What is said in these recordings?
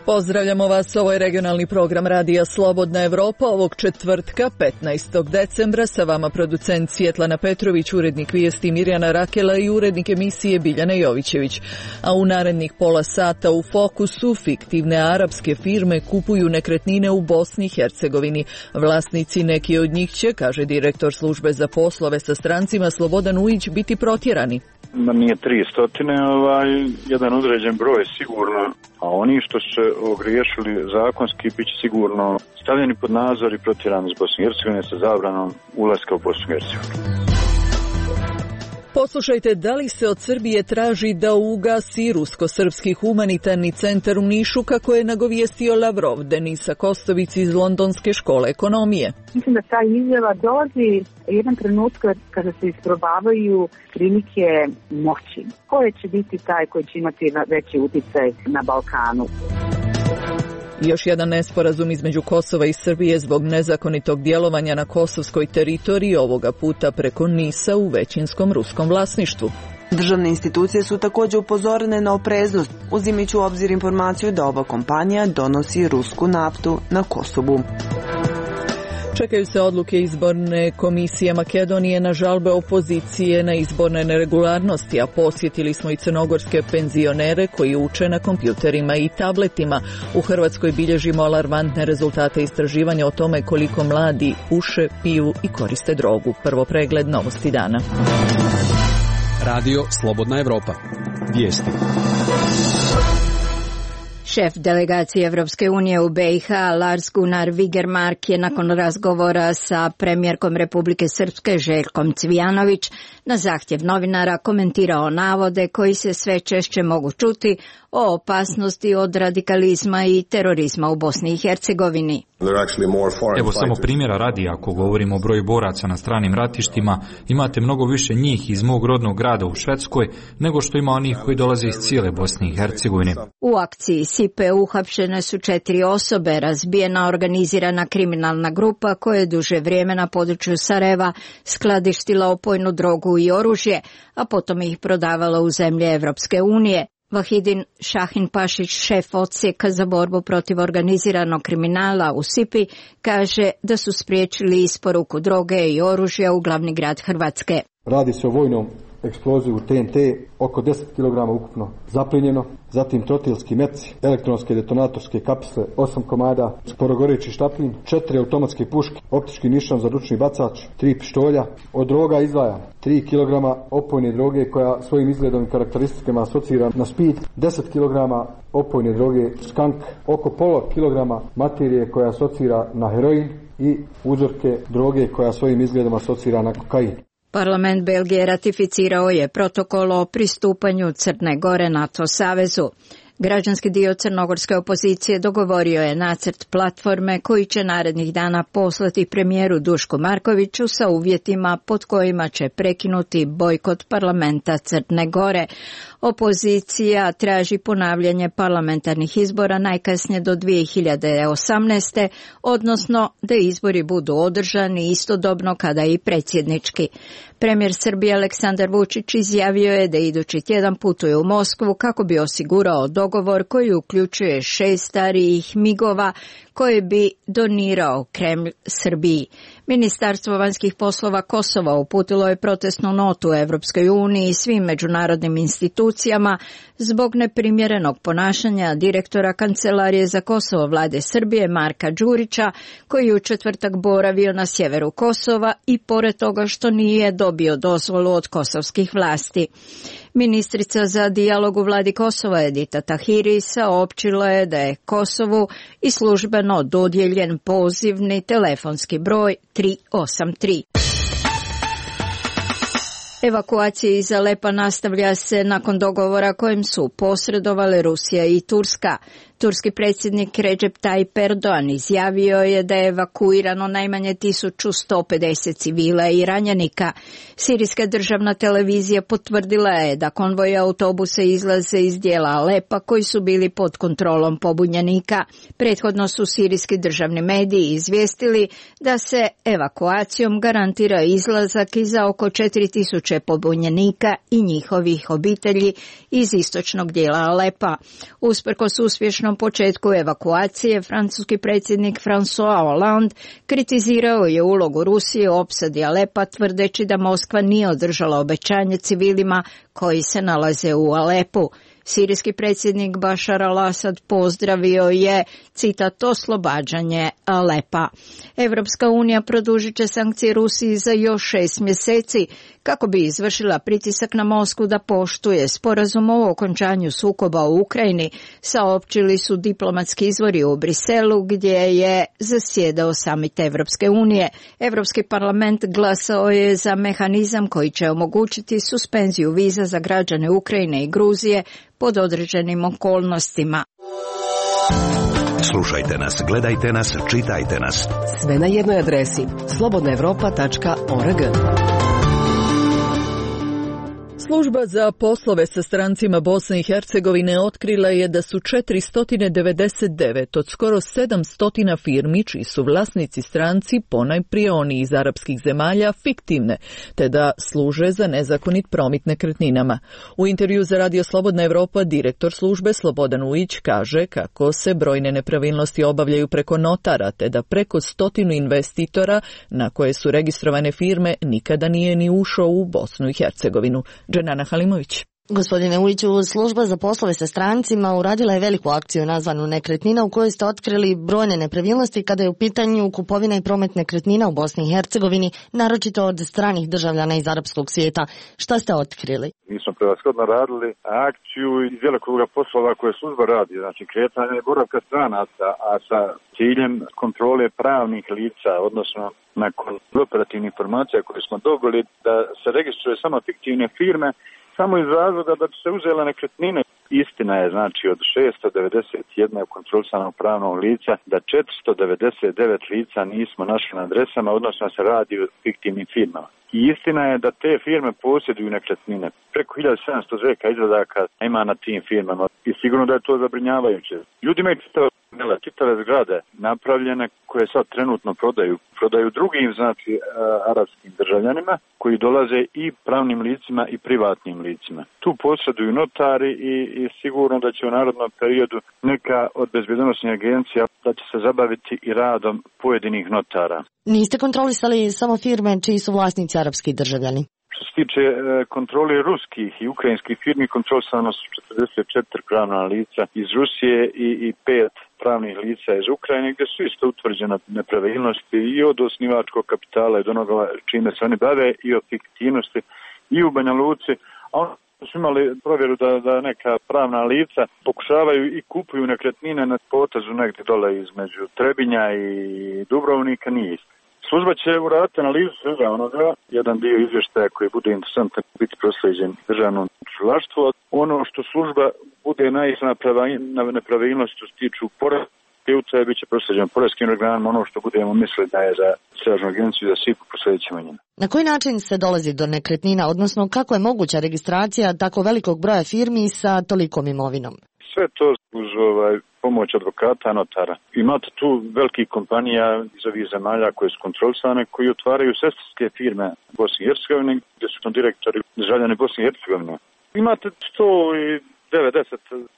Pozdravljamo vas, ovo je regionalni program Radija Slobodna Evropa ovog četvrtka, 15. decembra. Sa vama producent Svjetlana Petrović, urednik vijesti Mirjana Rakela i urednik emisije Biljana Jovićević. A u narednih pola sata u fokusu fiktivne arapske firme kupuju nekretnine u Bosni i Hercegovini. Vlasnici neki od njih će, kaže direktor službe za poslove sa strancima Slobodan Ujić, biti protjerani. Nije 300, jedan određen broj sigurno, a oni što se ogriješili zakonski bit će sigurno stavljeni pod nadzor i protjerani iz Bosne i Hercegovine sa zabranom ulaska u Bosnu i Hercegovinu. Poslušajte, da li se od Srbije traži da ugasi rusko-srpski humanitarni centar u Nišu, kako je nagovijestio Lavrov, Denisa Kostović iz Londonske škole ekonomije. Mislim da ta izjava dolazi jedan trenutak kada se isprobavaju klinike moći. Koje će biti taj koji će imati veći uticaj na Balkanu? Još jedan nesporazum između Kosova i Srbije zbog nezakonitog djelovanja na kosovskoj teritoriji, ovoga puta preko Nisa u većinskom ruskom vlasništvu. Državne institucije su također upozorene na opreznost, uzimajući u obzir informaciju da ova kompanija donosi rusku naftu na Kosovu. Čekaju se odluke izborne komisije Makedonije na žalbe opozicije na izborne neregularnosti, a posjetili smo i crnogorske penzionere koji uče na kompjuterima i tabletima. U Hrvatskoj bilježimo alarmantne rezultate istraživanja o tome koliko mladi puše, piju i koriste drogu. Prvo pregled novosti dana. Radio Slobodna Evropa. Vijesti. Šef delegacije Evropske unije u BiH, Lars Gunnar Vigermark, je nakon razgovora sa premijerkom Republike Srpske Željkom Cvijanović na zahtjev novinara komentirao navode koji se sve češće mogu čuti o opasnosti od radikalizma i terorizma u Bosni i Hercegovini. Evo samo primjera radi, ako govorimo o broju boraca na stranim ratištima, imate mnogo više njih iz mog rodnog grada u Švedskoj nego što ima onih koji dolaze iz cijele Bosne i Hercegovine. U akciji SIPE uhapšene su 4 osobe, razbijena organizirana kriminalna grupa koja je duže vrijeme na području Sarajeva skladištila opojnu drogu i oružje, a potom ih prodavala u zemlje Evropske unije. Vahidin Šahinpašić, šef odsjeka za borbu protiv organiziranog kriminala u SIPI, kaže da su spriječili isporuku droge i oružja u glavni grad Hrvatske. Radi se o vojnom eksplozivu TNT, oko 10 kg ukupno zaplijenjeno, zatim trotilski meci, elektronske detonatorske kapsle, 8 komada, sporogoreći štaplin, 4 automatske puške, optički nišan za ručni bacač, 3 pištolja. Od droga izdvaja 3 kg opojne droge koja svojim izgledom i karakteristikama asocira na speed, 10 kg opojne droge skank, oko pola kilograma materije koja asocira na heroin i uzorke droge koja svojim izgledom asocira na kokain. Parlament Belgije ratificirao je protokol o pristupanju Crne Gore NATO savezu. Građanski dio crnogorske opozicije dogovorio je nacrt platforme koji će narednih dana poslati premijeru Dušku Markoviću sa uvjetima pod kojima će prekinuti bojkot parlamenta Crne Gore. Opozicija traži ponavljanje parlamentarnih izbora najkasnije do 2018. odnosno da izbori budu održani istodobno kada i predsjednički. Premijer Srbije Aleksandar Vučić izjavio je da idući tjedan putuje u Moskvu kako bi osigurao dogovor koji uključuje 6 starijih migova koje bi donirao Kremlj Srbiji. Ministarstvo vanjskih poslova Kosova uputilo je protestnu notu Evropskoj uniji i svim međunarodnim institucijama zbog neprimjerenog ponašanja direktora Kancelarije za Kosovo vlade Srbije Marka Đurića, koji je u četvrtak boravio na sjeveru Kosova i pored toga što nije dobio dozvolu od kosovskih vlasti. Ministrica za dijalog u vladi Kosova Edita Tahiri saopćila je da je Kosovu i službeno dodijeljen pozivni telefonski broj 383. Evakuacija iz Alepa nastavlja se nakon dogovora kojem su posredovale Rusija i Turska. Turski predsjednik Recep Tayyip Erdogan izjavio je da je evakuirano najmanje 1150 civila i ranjenika. Sirijska državna televizija potvrdila je da konvoji autobusa izlaze iz dijela Alepa koji su bili pod kontrolom pobunjenika. Prethodno su sirijski državni mediji izvijestili da se evakuacijom garantira izlazak iza oko 4000 pobunjenika i njihovih obitelji iz istočnog dijela Alepa. Usprkos uspješnom samom početku evakuacije, francuski predsjednik François Hollande kritizirao je ulogu Rusije u opsadi Alepa, tvrdeći da Moskva nije održala obećanje civilima koji se nalaze u Alepu. Sirijski predsjednik Bašar al-Asad pozdravio je, citat, oslobađanje Alepa. Evropska unija produžit će sankcije Rusiji za još 6 mjeseci kako bi izvršila pritisak na Moskvu da poštuje sporazum o okončanju sukoba u Ukrajini, saopćili su diplomatski izvori u Briselu gdje je zasjedao samit Evropske unije. Evropski parlament glasao je za mehanizam koji će omogućiti suspenziju viza za građane Ukrajine i Gruzije pod određenim okolnostima. Slušajte nas, gledajte nas, čitajte nas. Sve na jednoj adresi slobodnaevropa.org. Služba za poslove sa strancima Bosne i Hercegovine otkrila je da su 499 od skoro 700 firmi čiji su vlasnici stranci, ponajprije oni iz arapskih zemalja, fiktivne, te da služe za nezakonit promet nekretninama. U intervju za Radio Slobodna Evropa direktor službe Slobodan Ujić kaže kako se brojne nepravilnosti obavljaju preko notara, te da preko 100 investitora na koje su registrovane firme nikada nije ni ušao u Bosnu i Hercegovinu. Dženana Halimović. Gospodine Ujiću, služba za poslove sa strancima uradila je veliku akciju nazvanu Nekretnina u kojoj ste otkrili brojne nepravilnosti kada je u pitanju kupovina i promet nekretnina u Bosni i Hercegovini, naročito od stranih državljana iz arapskog svijeta. Šta ste otkrili? Mi smo prevashodno radili akciju iz velikoga poslova koje služba radi, znači kretanje i boravka stranaca, a sa ciljem kontrole pravnih lica, odnosno nakon operativnih informacija koje smo dobili da se registruje samo fiktivne firme, samo iz razloga da bi se uzela nekretnine. Istina je, znači, od 691 kontrolisanog pravnog lica da 499 lica nismo našli na adresama, odnosno se radi o fiktivnim firmama. I istina je da te firme posjeduju nekretnine. Preko 1700 zveka izvadaka ima na tim firmama i sigurno da je to zabrinjavajuće. Ljudi imaju čitave zgrade napravljene koje sad trenutno prodaju drugim, znači, arapskim državljanima koji dolaze i pravnim licima i privatnim licima. Tu posjeduju notari i sigurno da će u narednom periodu neka od bezbjednosnih agencija da će se zabaviti i radom pojedinih notara. Niste kontrolisali samo firme čiji su vlasnici arapski državljani? Što se tiče kontrole ruskih i ukrajinskih firmi, kontrolisano su 44 pravna lica iz Rusije i 5 pravnih lica iz Ukrajine, gdje su isto utvrđene nepravilnosti i od osnivačkog kapitala i od onoga čime se oni bave i o fiktivnosti i u Banja Luci. A ono su imali provjeru da neka pravna lica pokušavaju i kupuju nekretnine na potezu negdje dole između Trebinja i Dubrovnika, nije isto. Služba će uraditi analizu svega onoga, jedan dio izvještaja koji bude interesantan biti proslijeđen državnom tužilaštvu. Ono što služba bude naišla na nepravilnosti što se tiču porezne, bit će proslijeđen porezkim organima, ono što budemo mislili da je za Stražnu agenciju za SIP proslijedit ćemo njima. Na koji način se dolazi do nekretnina, odnosno kako je moguća registracija tako velikog broja firmi sa tolikom imovinom? Sve to uz pomoć advokata, notara. Imate tu velikih kompanija iz ovih zemalja koje su kontrolisane, koji otvaraju sestarske firme u Bosni i Hercegovini, gdje su direktori državljani Bosne i Hercegovine. Imate 190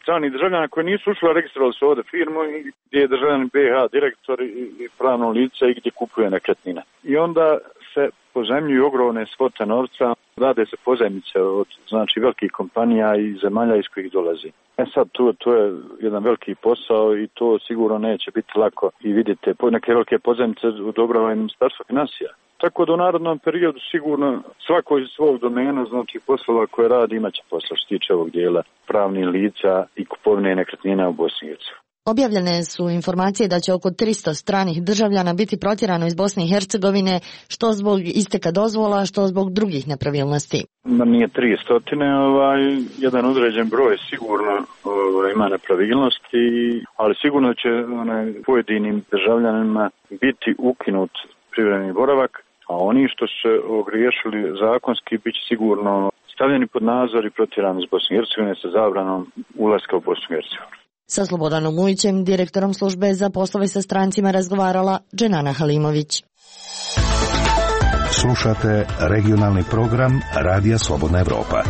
stranih državljana koji nisu ušli, registrovali su ovdje firmu i gdje je državljani BiH direktor i pravno lice i gdje kupuje nekretnine. I onda se pozajmljuju ogromne svote novca, rade se pozajmice od, znači, velikih kompanija i zemalja iz kojih dolazi. Sad to je jedan veliki posao i to sigurno neće biti lako i vidite, neke velike pozajmice odobrava i Ministarstvo financija. Tako da u narodnom periodu sigurno svako iz svog domena, znači poslova koje radi, imaće posla što se tiče ovog dijela pravnih lica i kupovine nekretnina u Bosni i Hercegovini. Objavljene su informacije da će oko 300 stranih državljana biti protjerano iz Bosne i Hercegovine, što zbog isteka dozvola, što zbog drugih nepravilnosti. Nije 300, jedan određen broj sigurno ima nepravilnosti, ali sigurno će pojedinim državljanima biti ukinut privremeni boravak, a oni što su ogriješili zakonski bit će sigurno stavljeni pod nadzor i protjerani iz Bosne i Hercegovine sa zabranom ulaska u Bosnu i Hercegovinu. Sa Slobodanom Ujićem, direktorom službe za poslove sa strancima, razgovarala Dženana Halimović. Slušate regionalni program Radija Slobodna Evropa.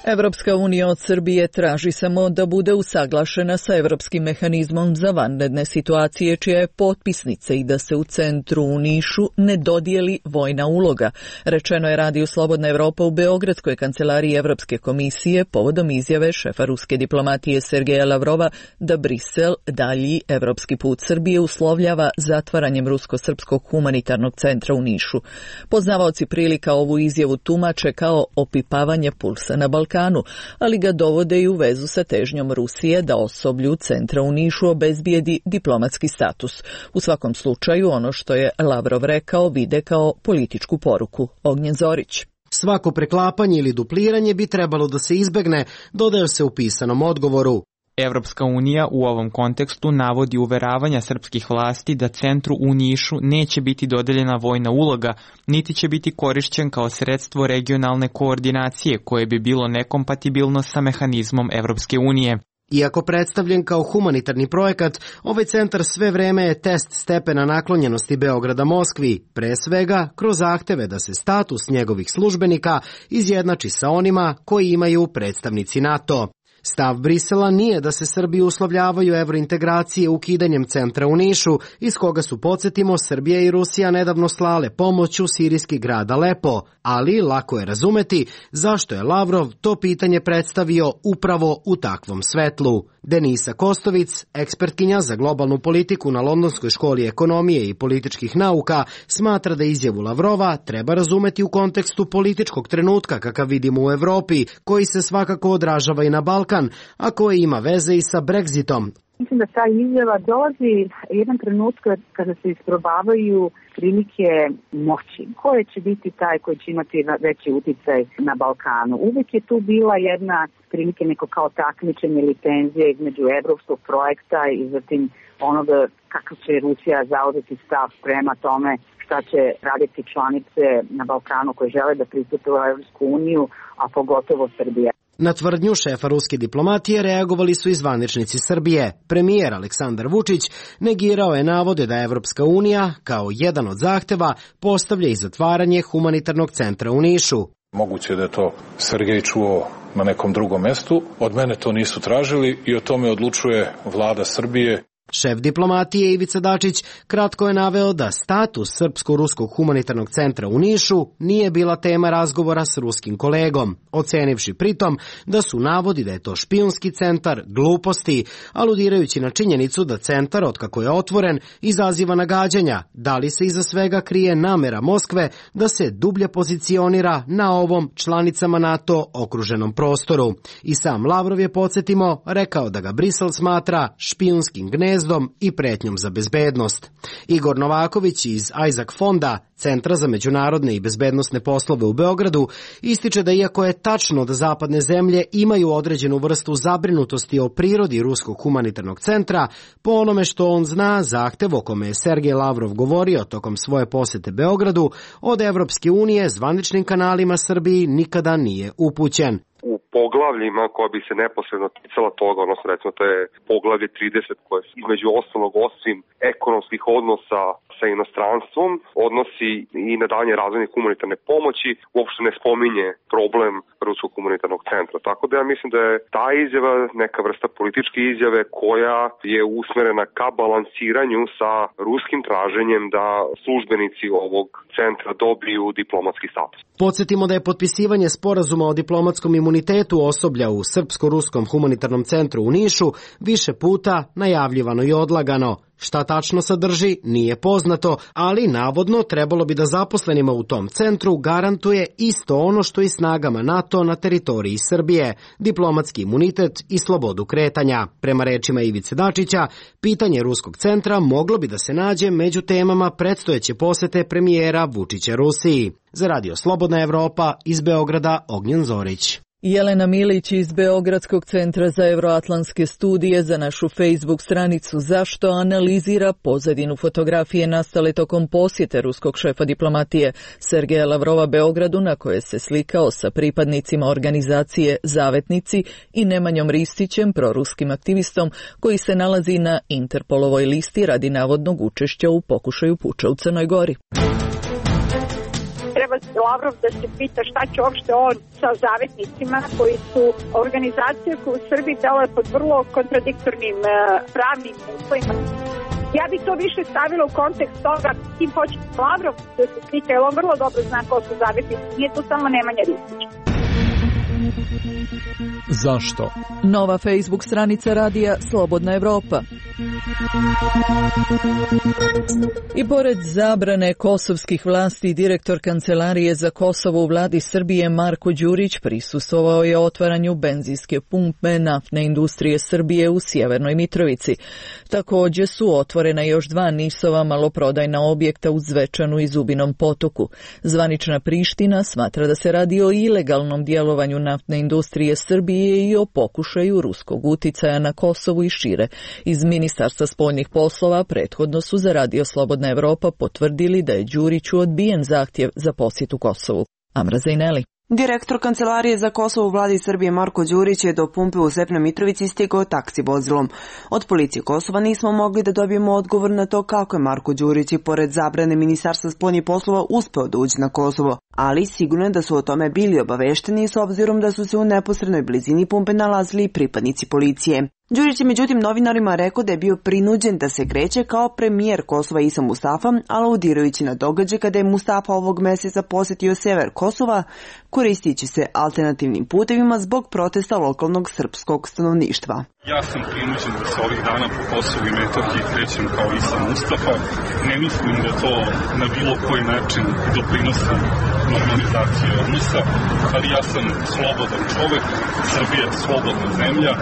Evropska unija od Srbije traži samo da bude usaglašena sa Evropskim mehanizmom za vanredne situacije, čija je potpisnica, i da se u centru u Nišu ne dodijeli vojna uloga. Rečeno je Radiju Slobodna Evropa u Beogradskoj kancelariji Evropske komisije povodom izjave šefa ruske diplomatije Sergeja Lavrova da Brisel dalji evropski put Srbije uslovljava zatvaranjem rusko-srpskog humanitarnog centra u Nišu. Poznavaoci prilika ovu izjavu tumače kao opipavanje pulsa na Balkanu, ali ga dovode i u vezu sa težnjom Rusije da osoblju centra u Nišu obezbijedi diplomatski status. U svakom slučaju, ono što je Lavrov rekao vide kao političku poruku. Ognjen Zorić. Svako preklapanje ili dupliranje bi trebalo da se izbegne, dodaje se u pisanom odgovoru. Evropska unija u ovom kontekstu navodi uveravanja srpskih vlasti da centru u Nišu neće biti dodeljena vojna uloga, niti će biti korišćen kao sredstvo regionalne koordinacije koje bi bilo nekompatibilno sa mehanizmom Evropske unije. Iako predstavljen kao humanitarni projekat, ovaj centar sve vreme je test stepena naklonjenosti Beograda Moskvi, pre svega kroz zahteve da se status njegovih službenika izjednači sa onima koji imaju predstavnici NATO. Stav Brisela nije da se Srbi uslovljavaju evrointegracije ukidanjem centra u Nišu, iz koga su, podsjetimo, Srbija i Rusija nedavno slale pomoć u sirijski grad Alepo, ali lako je razumeti zašto je Lavrov to pitanje predstavio upravo u takvom svetlu. Denisa Kostovic, ekspertkinja za globalnu politiku na Londonskoj školi ekonomije i političkih nauka, smatra da izjavu Lavrova treba razumeti u kontekstu političkog trenutka kakav vidimo u Evropi, koji se svakako odražava i na Balkan, a koji ima veze i sa Brexitom. Mislim da ta izjava dolazi jedan trenutak kada se isprobavaju prilike moći. Ko će biti taj koji će imati veći uticaj na Balkanu? Uvijek je tu bila jedna prilike neko kao takmičenje ili tenzija između evropskog projekta i zatim onoga kako će Rusija zauzeti stav prema tome šta će raditi članice na Balkanu koje žele da pristupe u Evropsku uniju, a pogotovo Srbija. Na tvrdnju šefa ruske diplomatije reagovali su i zvaničnici Srbije. Premijer Aleksandar Vučić negirao je navode da Evropska unija, kao jedan od zahteva, postavlja i zatvaranje humanitarnog centra u Nišu. Moguće da je to Sergej čuo na nekom drugom mestu. Od mene to nisu tražili i o tome odlučuje vlada Srbije. Šef diplomatije Ivica Dačić kratko je naveo da status Srpsko-ruskog humanitarnog centra u Nišu nije bila tema razgovora s ruskim kolegom, ocenivši pritom da su navodi da je to špijunski centar gluposti, aludirajući na činjenicu da centar, otkako je otvoren, izaziva nagađanja, da li se iza svega krije namera Moskve da se dublje pozicionira na ovom članicama NATO okruženom prostoru. I sam Lavrov je, podsjetimo, rekao da ga Brisel smatra špijunskim gnezdom i pretnjom za bezbednost. Igor Novaković iz Isaac fonda, Centra za međunarodne i bezbednosne poslove u Beogradu, ističe da iako je tačno da zapadne zemlje imaju određenu vrstu zabrinutosti o prirodi ruskog humanitarnog centra, po onome što on zna, zahtev o kome je Sergej Lavrov govorio tokom svoje posete Beogradu, od Evropske unije zvaničnim kanalima Srbiji nikada nije upućen. U poglavljima koja bi se neposredno ticala toga, odnosno recimo to je poglavlje 30 koje između ostalog osim ekonomskih odnosa sa inostranstvom odnosi i na dalje razvojne humanitarne pomoći, uopšte ne spominje problem ruskog humanitarnog centra. Tako da ja mislim da je ta izjava neka vrsta političke izjave koja je usmerena ka balansiranju sa ruskim traženjem da službenici ovog centra dobiju diplomatski status. Podsjetimo da je potpisivanje sporazuma o diplomatskom imunitetu osoblja u Srpsko-ruskom humanitarnom centru u Nišu više puta najavljivano i odlagano. Šta tačno sadrži, nije poznato, ali navodno trebalo bi da zaposlenima u tom centru garantuje isto ono što i snagama NATO na teritoriji Srbije, diplomatski imunitet i slobodu kretanja. Prema rečima Ivice Dačića, pitanje ruskog centra moglo bi da se nađe među temama predstojeće posete premijera Vučića Rusiji. Za Radio Slobodna Evropa, iz Beograda, Ognjen Zorić. Jelena Milić iz Beogradskog centra za euroatlantske studije za našu Facebook stranicu Zašto analizira pozadinu fotografije nastale tokom posjete ruskog šefa diplomatije Sergeja Lavrova Beogradu, na koje se slikao sa pripadnicima organizacije Zavetnici i Nemanjom Ristićem, proruskim aktivistom koji se nalazi na Interpolovoj listi radi navodnog učešća u pokušaju puča u Crnoj Gori. treba Lavrov da se pita šta će uopšte on sa zavetnicima koji su organizacije koje u Srbiji deluje pod vrlo kontradiktornim pravnim uslovima. Ja bi to više stavila u kontekst toga kim hoće Lavrov da se slika, jer on vrlo dobro zna ko su zavetnici. Nije tu samo Nemanja Ristić. Zašto? Nova Facebook stranica radija Slobodna Evropa. I pored zabrane kosovskih vlasti, direktor Kancelarije za Kosovo u vladi Srbije Marko Đurić prisustvovao je otvaranju benzinske pumpe naftne industrije Srbije u Sjevernoj Mitrovici. Također su otvorena još 2 NIS-ova maloprodajna objekta u Zvečanu i Zubinom Potoku. Zvanična Priština smatra da se radi o ilegalnom djelovanju naftne industrije Srbije i o pokušaju ruskog uticaja na Kosovu i šire. Iz Ministarstva spoljnih poslova prethodno su za Radio Slobodna Evropa potvrdili da je Đuriću odbijen zahtjev za posjetu Kosovu. Amra Zajneli. Direktor Kancelarije za Kosovo u vladi Srbije Marko Đurić je do pumpe u Svepnoj Mitrovici stigao taksi vozilom. Od policije Kosova nismo mogli da dobijemo odgovor na to kako je Marko Đurić i pored zabrane Ministarstva spoljnih poslova uspeo da uđe na Kosovo, ali sigurno je da su o tome bili obavešteni s obzirom da su se u neposrednoj blizini pumpe nalazili pripadnici policije. Đurić je međutim novinarima rekao da je bio prinuđen da se kreće kao premijer Kosova Isa Mustafa, aludirajući na događaj kada je Mustafa ovog meseca posjetio sever Kosova, koristići se alternativnim putevima zbog protesta lokalnog srpskog stanovništva. Ja sam prinuđen da se ovih dana po Kosovu i Metohiji krećem kao Isa Mustafa. Ne mislim da to na bilo koji način doprinosi normalizaciji odnosa, ali ja sam slobodan čovek, Srbija je slobodna zemlja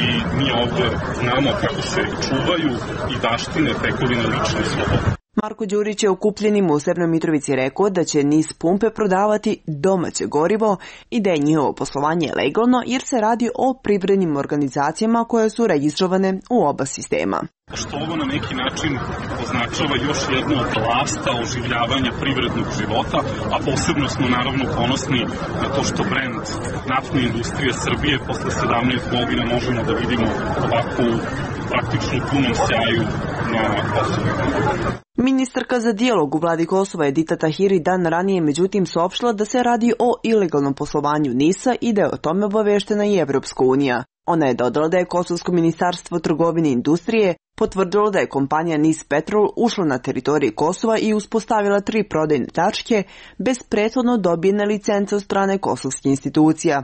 i mi ovdje znamo kako se čuvaju i baštine tekovine lične slobode. Marko Đurić je okupljenima u Severnoj Mitrovici rekao da će NIS pumpe prodavati domaće gorivo i da je njihovo poslovanje legalno jer se radi o privrednim organizacijama koje su registrovane u oba sistema. Što ovo na neki način označava još jednu od lasta oživljavanja privrednog života, a posebno smo naravno ponosni na to što brend naftne industrije Srbije posle 17 godina možemo da vidimo ovakvu praktično punom sjaju na Kosovu. Ministarka za dijalog u vladi Kosova Edita Tahiri dan ranije međutim saopštila da se radi o ilegalnom poslovanju NIS-a i da je o tome obaveštena i Evropska unija. Ona je dodala da je Kosovsko ministarstvo trgovine i industrije potvrdilo da je kompanija NIS Petrol ušla na teritoriju Kosova i uspostavila 3 prodajne tačke bez prethodno dobijene licence od strane kosovskih institucija.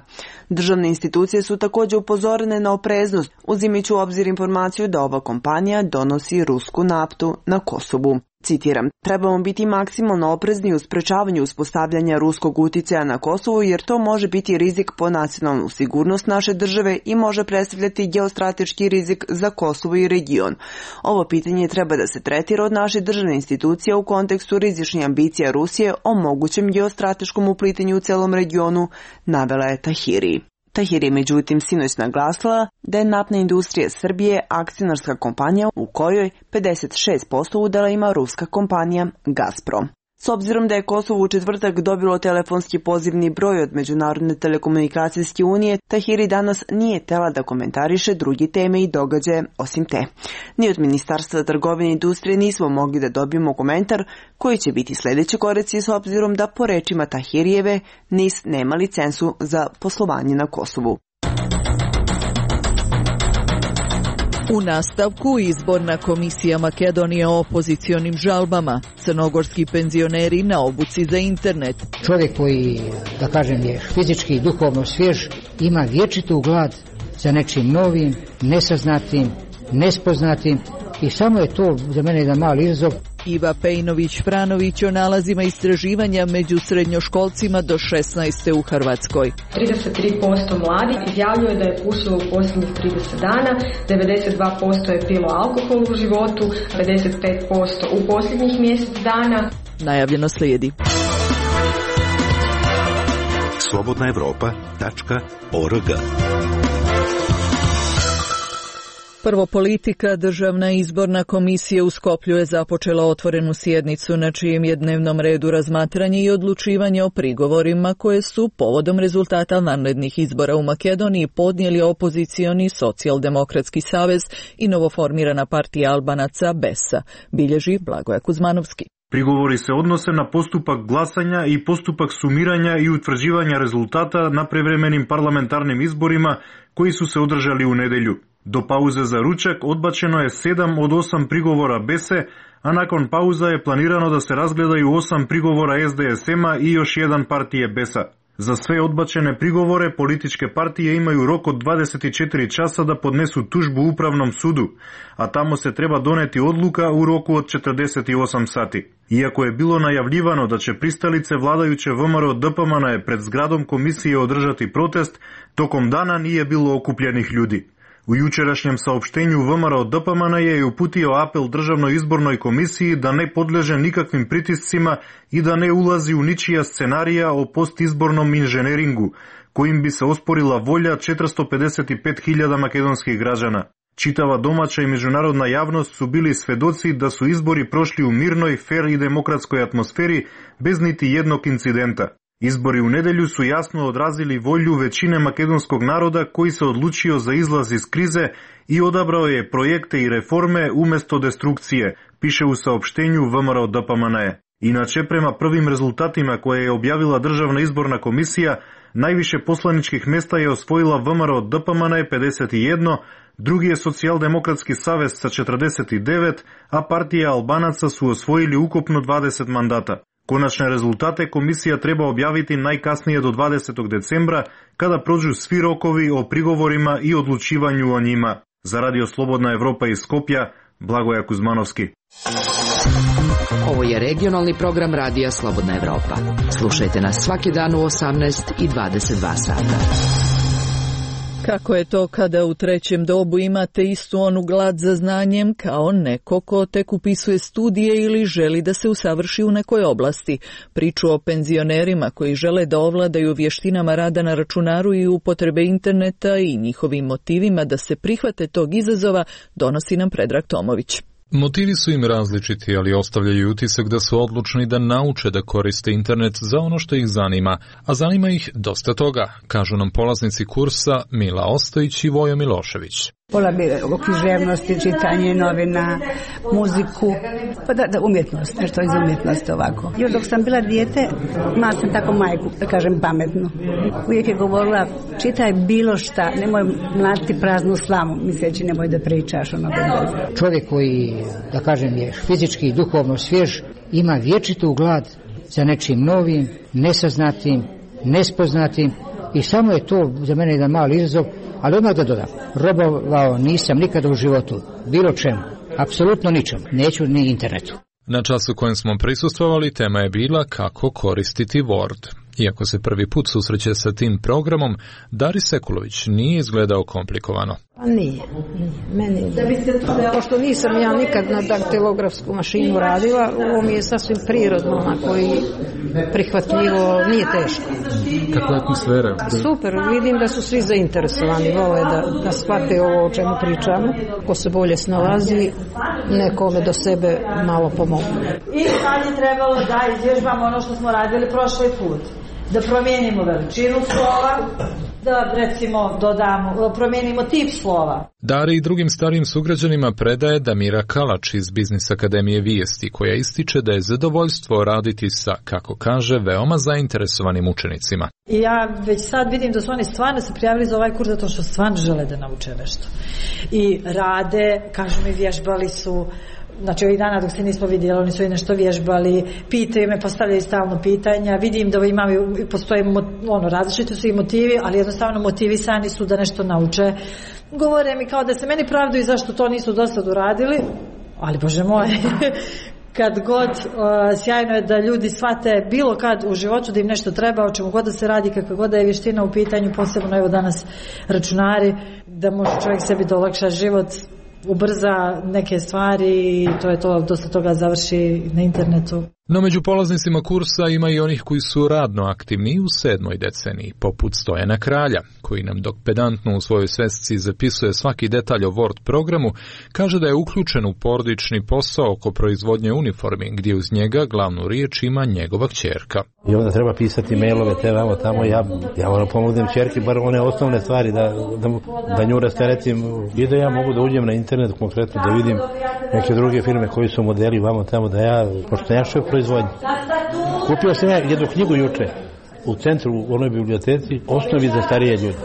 Državne institucije su također upozorene na opreznost, uzimajući u obzir informaciju da ova kompanija donosi rusku naftu na Kosovu. Citiram, trebamo biti maksimalno oprezni u sprečavanju uspostavljanja ruskog uticaja na Kosovu jer to može biti rizik po nacionalnu sigurnost naše države i može predstavljati geostrateški rizik za Kosovo i region. Ovo pitanje treba da se tretira od naše državne institucije u kontekstu rizičnih ambicija Rusije o mogućem geostrateškom uplitanju u celom regionu, navela je Tahiri. Tahiri je međutim sinoć naglasila da je naftna industrija Srbije akcionarska kompanija u kojoj 56% udela ima ruska kompanija Gazprom. S obzirom da je Kosovo u četvrtak dobilo telefonski pozivni broj od Međunarodne telekomunikacijske unije, Tahiri danas nije htela da komentariše druge teme i događaje osim te. Ni od Ministarstva trgovine i industrije nismo mogli da dobijemo komentar koji će biti sljedeći koraci s obzirom da po rečima Tahirijeve NIS nema licencu za poslovanje na Kosovu. U nastavku izborna komisija Makedonije o opozicionim žalbama, crnogorski penzioneri na obuci za internet. Čovjek koji, da kažem, je fizički i duhovno svjež, ima vječitu glad za nečim novim, nesaznatim, nespoznatim i samo je to za mene jedan mali izazov. Iva Pejnović-Franović o nalazima istraživanja među srednjoškolcima do 16. u Hrvatskoj. 33% mladih izjavljuje da je pušilo u posljednjih 30 dana, 92% je pilo alkohol u životu, 55% u posljednjih mjesec dana. Najavljeno slijedi. slobodnaevropa.org. Prvo politika, Državna izborna komisija u Skoplju je započela otvorenu sjednicu na čijem je dnevnom redu razmatranje i odlučivanje o prigovorima koje su povodom rezultata vanrednih izbora u Makedoniji podnijeli opozicioni Socijaldemokratski savez i novoformirana partija Albanaca BESA, bilježi Blagoja Kuzmanovski. Prigovori se odnose na postupak glasanja i postupak sumiranja i utvrđivanja rezultata na prevremenim parlamentarnim izborima koji su se održali u nedelju. Do pauze za ručak odbačeno je 7 od 8 prigovora BESE, a nakon pauza je planirano da se razgledaju 8 prigovora SDSM-a i još jedan partije BES-a. Za sve odbačene prigovore političke partije imaju rok od 24 časa da podnesu tužbu Upravnom sudu, a tamo se treba doneti odluka u roku od 48 sati. Iako je bilo najavljivano da će pristalice vladajuće VMRO DPMNE pred zgradom komisije održati protest, tokom dana nije bilo okupljenih ljudi. U jučerašnjem saopštenju VMRO DPMNE je uputio apel Državnoj izbornoj komisiji da ne podleže nikakvim pritiscima i da ne ulazi u ničija scenarija o postizbornom inženjeringu, kojim bi se osporila volja 455.000 makedonskih građana. Čitava domaća i međunarodna javnost su bili svedoci da su izbori prošli u mirnoj, fer i demokratskoj atmosferi bez niti jednog incidenta. Izbori u nedelju su jasno odrazili volju većine makedonskog naroda koji se odlučio za izlaz iz krize i odabrao je projekte i reforme umjesto destrukcije, piše u saopštenju VMRO DPMNE. Inače, prema prvim rezultatima koje je objavila Državna izborna komisija, najviše poslaničkih mesta je osvojila VMRO DPMNE 51, drugi je Socijaldemokratski savez sa 49, a partija Albanaca su osvojili ukupno 20 mandata. Konačne rezultate komisija treba objaviti najkasnije do 20. decembra, kada prođu svi rokovi o prigovorima i odlučivanju o njima. Za Radio Slobodna Evropa iz Skopja, Blagoja Kuzmanovski. Ovo je regionalni program Radija Slobodna Evropa. Slušajte nas svaki dan u 18 i 22 sata. Kako je to kada u trećem dobu imate istu onu glad za znanjem kao neko ko tek upisuje studije ili želi da se usavrši u nekoj oblasti? Priču o penzionerima koji žele da ovladaju vještinama rada na računaru i upotrebe interneta i njihovim motivima da se prihvate tog izazova donosi nam Predrag Tomović. Motivi su im različiti, ali ostavljaju utisak da su odlučni da nauče da koriste internet za ono što ih zanima, a zanima ih dosta toga, kažu nam polaznici kursa Mila Ostojić i Vojo Milošević. Pola bi o književnosti, čitanje novina, muziku, pa da umjetnost, nešto iz umjetnosti ovako. Još dok sam bila dijete, imala sam tako majku, da kažem pametnu. Uvijek je govorila, čitaj bilo šta, nemoj mlatiti praznu slamu, misleći nemoj da pričaš ono bez. Čovjek koji, da kažem, je fizički i duhovno svjež, ima vječitu glad za nečim novim, nesaznatim, nespoznatim i samo je to za mene jedan mali izazov. Ali odmah da dodam, robovao nisam nikada u životu, bilo čemu, apsolutno ničemu, neću ni internetu. Na času kojem smo prisustvovali, tema je bila kako koristiti Word. Iako se prvi put susreće sa tim programom, Dari Sekulović nije izgledao komplikovano. Nije. Meni pošto nisam ja nikad na daktilografsku mašinu radila, ovo mi je sasvim prirodno, onako i prihvatljivo, nije teško. Kakva je atmosfera? Super, vidim da su svi zainteresovani, vole da shvate ovo o čemu pričamo. Ko se bolje snalazi, nekome do sebe malo pomogne. I sad je trebalo da izvježbamo ono što smo radili prošli put. Da promijenimo veličinu slova, da recimo promijenimo tip slova. Dari i drugim starijim sugrađanima predaje Damira Kalač iz Biznis Akademije Vijesti, koja ističe da je zadovoljstvo raditi sa, kako kaže, veoma zainteresovanim učenicima. I ja već sad vidim da su oni stvarno se prijavili za ovaj kurs zato što stvarno žele da nauče nešto. I rade, kažu mi, vježbali su. Znači ovih dana dok se nismo vidjeli, oni su i nešto vježbali, pitaju me, postavljaju stalno pitanja, vidim da postoje različiti su i motivi, ali jednostavno motivisani su da nešto nauče. Govore mi kao da se meni pravdaju zašto to nisu do sad uradili, ali Bože moj, kad god sjajno je da ljudi shvate bilo kad u životu da im nešto treba, o čemu god da se radi, kakva god da je vještina u pitanju, posebno evo danas računari, da može čovjek sebi da olakša život, ubrza neke stvari i to je to, dosta toga završi na internetu. No među polaznicima kursa ima i onih koji su radno aktivni u 7. deceniji, poput Stojana Kralja, koji nam dok pedantno u svojoj svesci zapisuje svaki detalj o Word programu, kaže da je uključen u porodični posao oko proizvodnje uniformi, gdje uz njega glavnu riječ ima njegova kćerka. I onda treba pisati mailove te vamo tamo, ja moram pomognem kćerki bar one osnovne stvari da nju rasteretim i da ja mogu da uđem na internet konkretno da vidim neke druge firme koji su modeli vamo tamo pošto ja što proizvodnje. Kupio sam ja jednu knjigu juče u centru u onoj biblioteci, osnovi za starije ljude.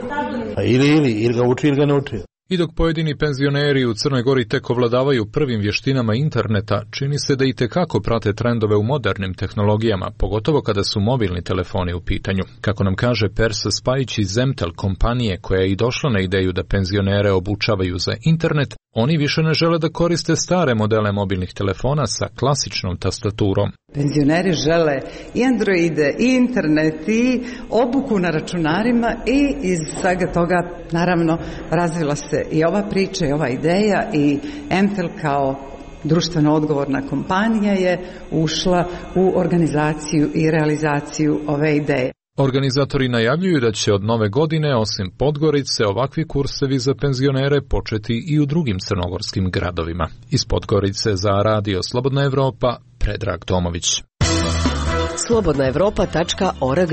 Ili ga uči ili ga ne uči. I dok pojedini penzioneri u Crnoj Gori tek ovladavaju prvim vještinama interneta, čini se da i tekako prate trendove u modernim tehnologijama, pogotovo kada su mobilni telefoni u pitanju. Kako nam kaže Persa Spajić iz Zemtel kompanije koja je i došla na ideju da penzionere obučavaju za internet, oni više ne žele da koriste stare modele mobilnih telefona sa klasičnom tastaturom. Penzioneri žele i Androide, i internet, i obuku na računarima i iz svega toga naravno razvila se i ova priča i ova ideja i Emtel kao društveno odgovorna kompanija je ušla u organizaciju i realizaciju ove ideje. Organizatori najavljuju da će od nove godine, osim Podgorice, ovakvi kursevi za penzionere početi i u drugim crnogorskim gradovima. Iz Podgorice za Radio Slobodna Evropa, Predrag Tomović. slobodnaevropa.org.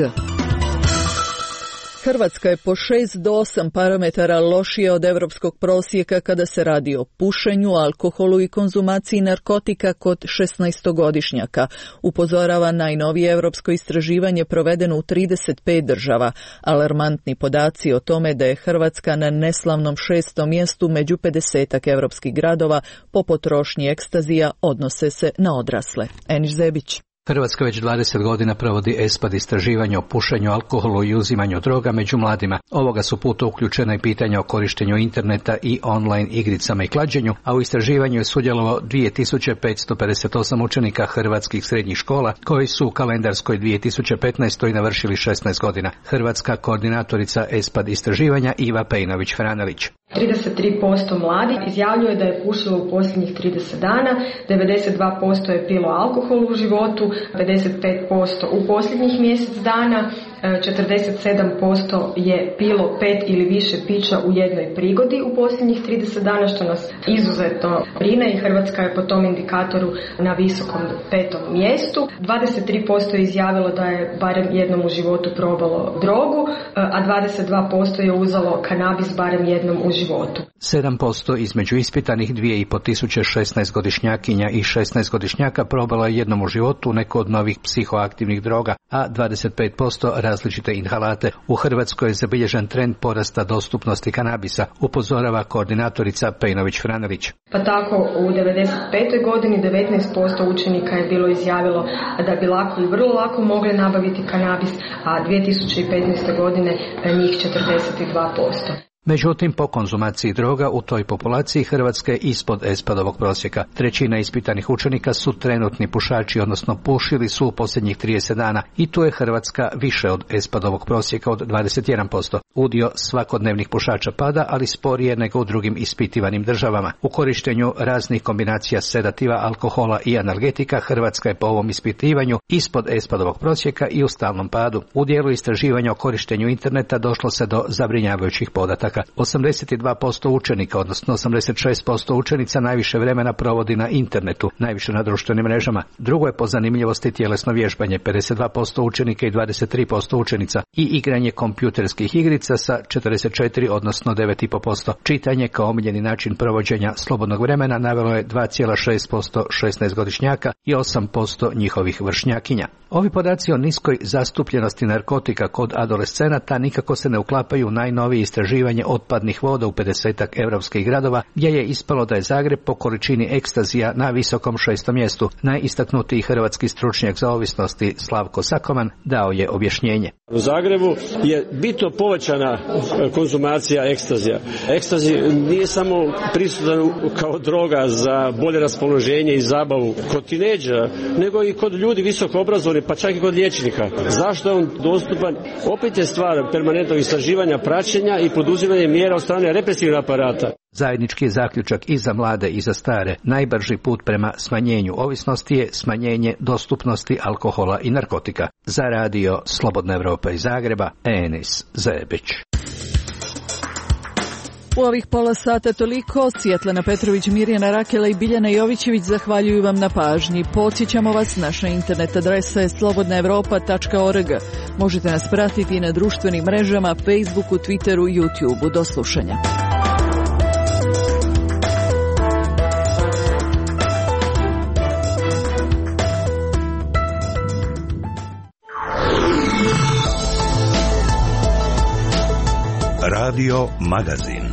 Hrvatska je po 6 do 8 parametara lošija od evropskog prosjeka kada se radi o pušenju, alkoholu i konzumaciji narkotika kod 16-godišnjaka, upozorava najnovije evropsko istraživanje provedeno u 35 država. Alarmantni podaci o tome da je Hrvatska na neslavnom 6. mjestu među 50-ak evropskih gradova po potrošnji ekstazija odnose se na odrasle. Eniš Zebić. Hrvatska već 20 godina provodi ESPAD istraživanje o pušenju, alkoholu i uzimanju droga među mladima. Ovoga su puta uključena i pitanja o korištenju interneta i online igricama i klađenju, a u istraživanju je sudjelovalo 2558 učenika hrvatskih srednjih škola koji su u kalendarskoj 2015. navršili 16 godina. Hrvatska koordinatorica ESPAD istraživanja Iva Pejnović-Hranelić. 33% mladih izjavljuje da je pušilo u posljednjih 30 dana, 92% je pilo alkohol u životu, 55% u posljednjih mjesec dana, 47% je pilo 5 ili više pića u jednoj prigodi u posljednjih 30 dana, što nas izuzetno brine i Hrvatska je po tom indikatoru na visokom 5. mjestu. 23% je izjavilo da je barem jednom u životu probalo drogu, a 22% je uzelo kanabis barem jednom u životu. 7% između ispitanih 2500 16-godišnjakinja i 16-godišnjaka probalo je jednom u životu neko od novih psihoaktivnih droga, a 25% različite inhalate. U Hrvatskoj je zabilježen trend porasta dostupnosti kanabisa, upozorava koordinatorica Pejnović-Hranelić. Pa tako u 95. godini 19% učenika je bilo izjavilo da bi lako i vrlo lako mogli nabaviti kanabis, a 2015. godine njih 42%. Međutim, po konzumaciji droga u toj populaciji Hrvatska je ispod ESPAD-ovog prosjeka. 1/3 ispitanih učenika su trenutni pušači, odnosno pušili su u posljednjih 30 dana i tu je Hrvatska više od ESPAD-ovog prosjeka od 21%. Udio svakodnevnih pušača pada, ali sporije nego u drugim ispitivanim državama. U korištenju raznih kombinacija sedativa, alkohola i analgetika Hrvatska je po ovom ispitivanju ispod ESPAD-ovog prosjeka i u stalnom padu. U dijelu istraživanja o korištenju interneta došlo se do zabrinjavajućih podataka. 82% učenika, odnosno 86% učenica najviše vremena provodi na internetu, najviše na društvenim mrežama. Drugo je po zanimljivosti tjelesno vježbanje, 52% učenika i 23% učenica, i igranje kompjuterskih igrica sa 44, odnosno 9,5%. Čitanje kao omiljeni način provođenja slobodnog vremena navelo je 2,6% 16-godišnjaka i 8% njihovih vršnjakinja. Ovi podaci o niskoj zastupljenosti narkotika kod adolescenata nikako se ne uklapaju u najnovije istraživanje otpadnih voda u 50-ak europskih gradova, gdje je ispalo da je Zagreb po količini ekstazija na visokom 6. mjestu. Najistaknutiji hrvatski stručnjak za ovisnosti Slavko Sakoman dao je objašnjenje. U Zagrebu je bitno povećana konzumacija ekstazija. Ekstazi nije samo prisutan kao droga za bolje raspoloženje i zabavu kod tinejdžera, nego i kod ljudi visoko obrazovnih, pa čak i kod liječnika. Zašto je on dostupan? Opet je stvar permanentnog istraživanja, praćenja i poduzimanje mjera od strane represivnog aparata. Zajednički je zaključak i za mlade i za stare. Najbrži put prema smanjenju ovisnosti je smanjenje dostupnosti alkohola i narkotika. Za radio Slobodna Evropa iz Zagreba, Enis Zebić. U ovih pola sata toliko. Svjetlana Petrović, Mirjana Rakela i Biljana Jovićević zahvaljuju vam na pažnji. Podsjećamo vas, naša internet adresa je slobodnaevropa.org. Možete nas pratiti na društvenim mrežama, Facebooku, Twitteru, YouTubeu. Do slušanja. Radio Magazin.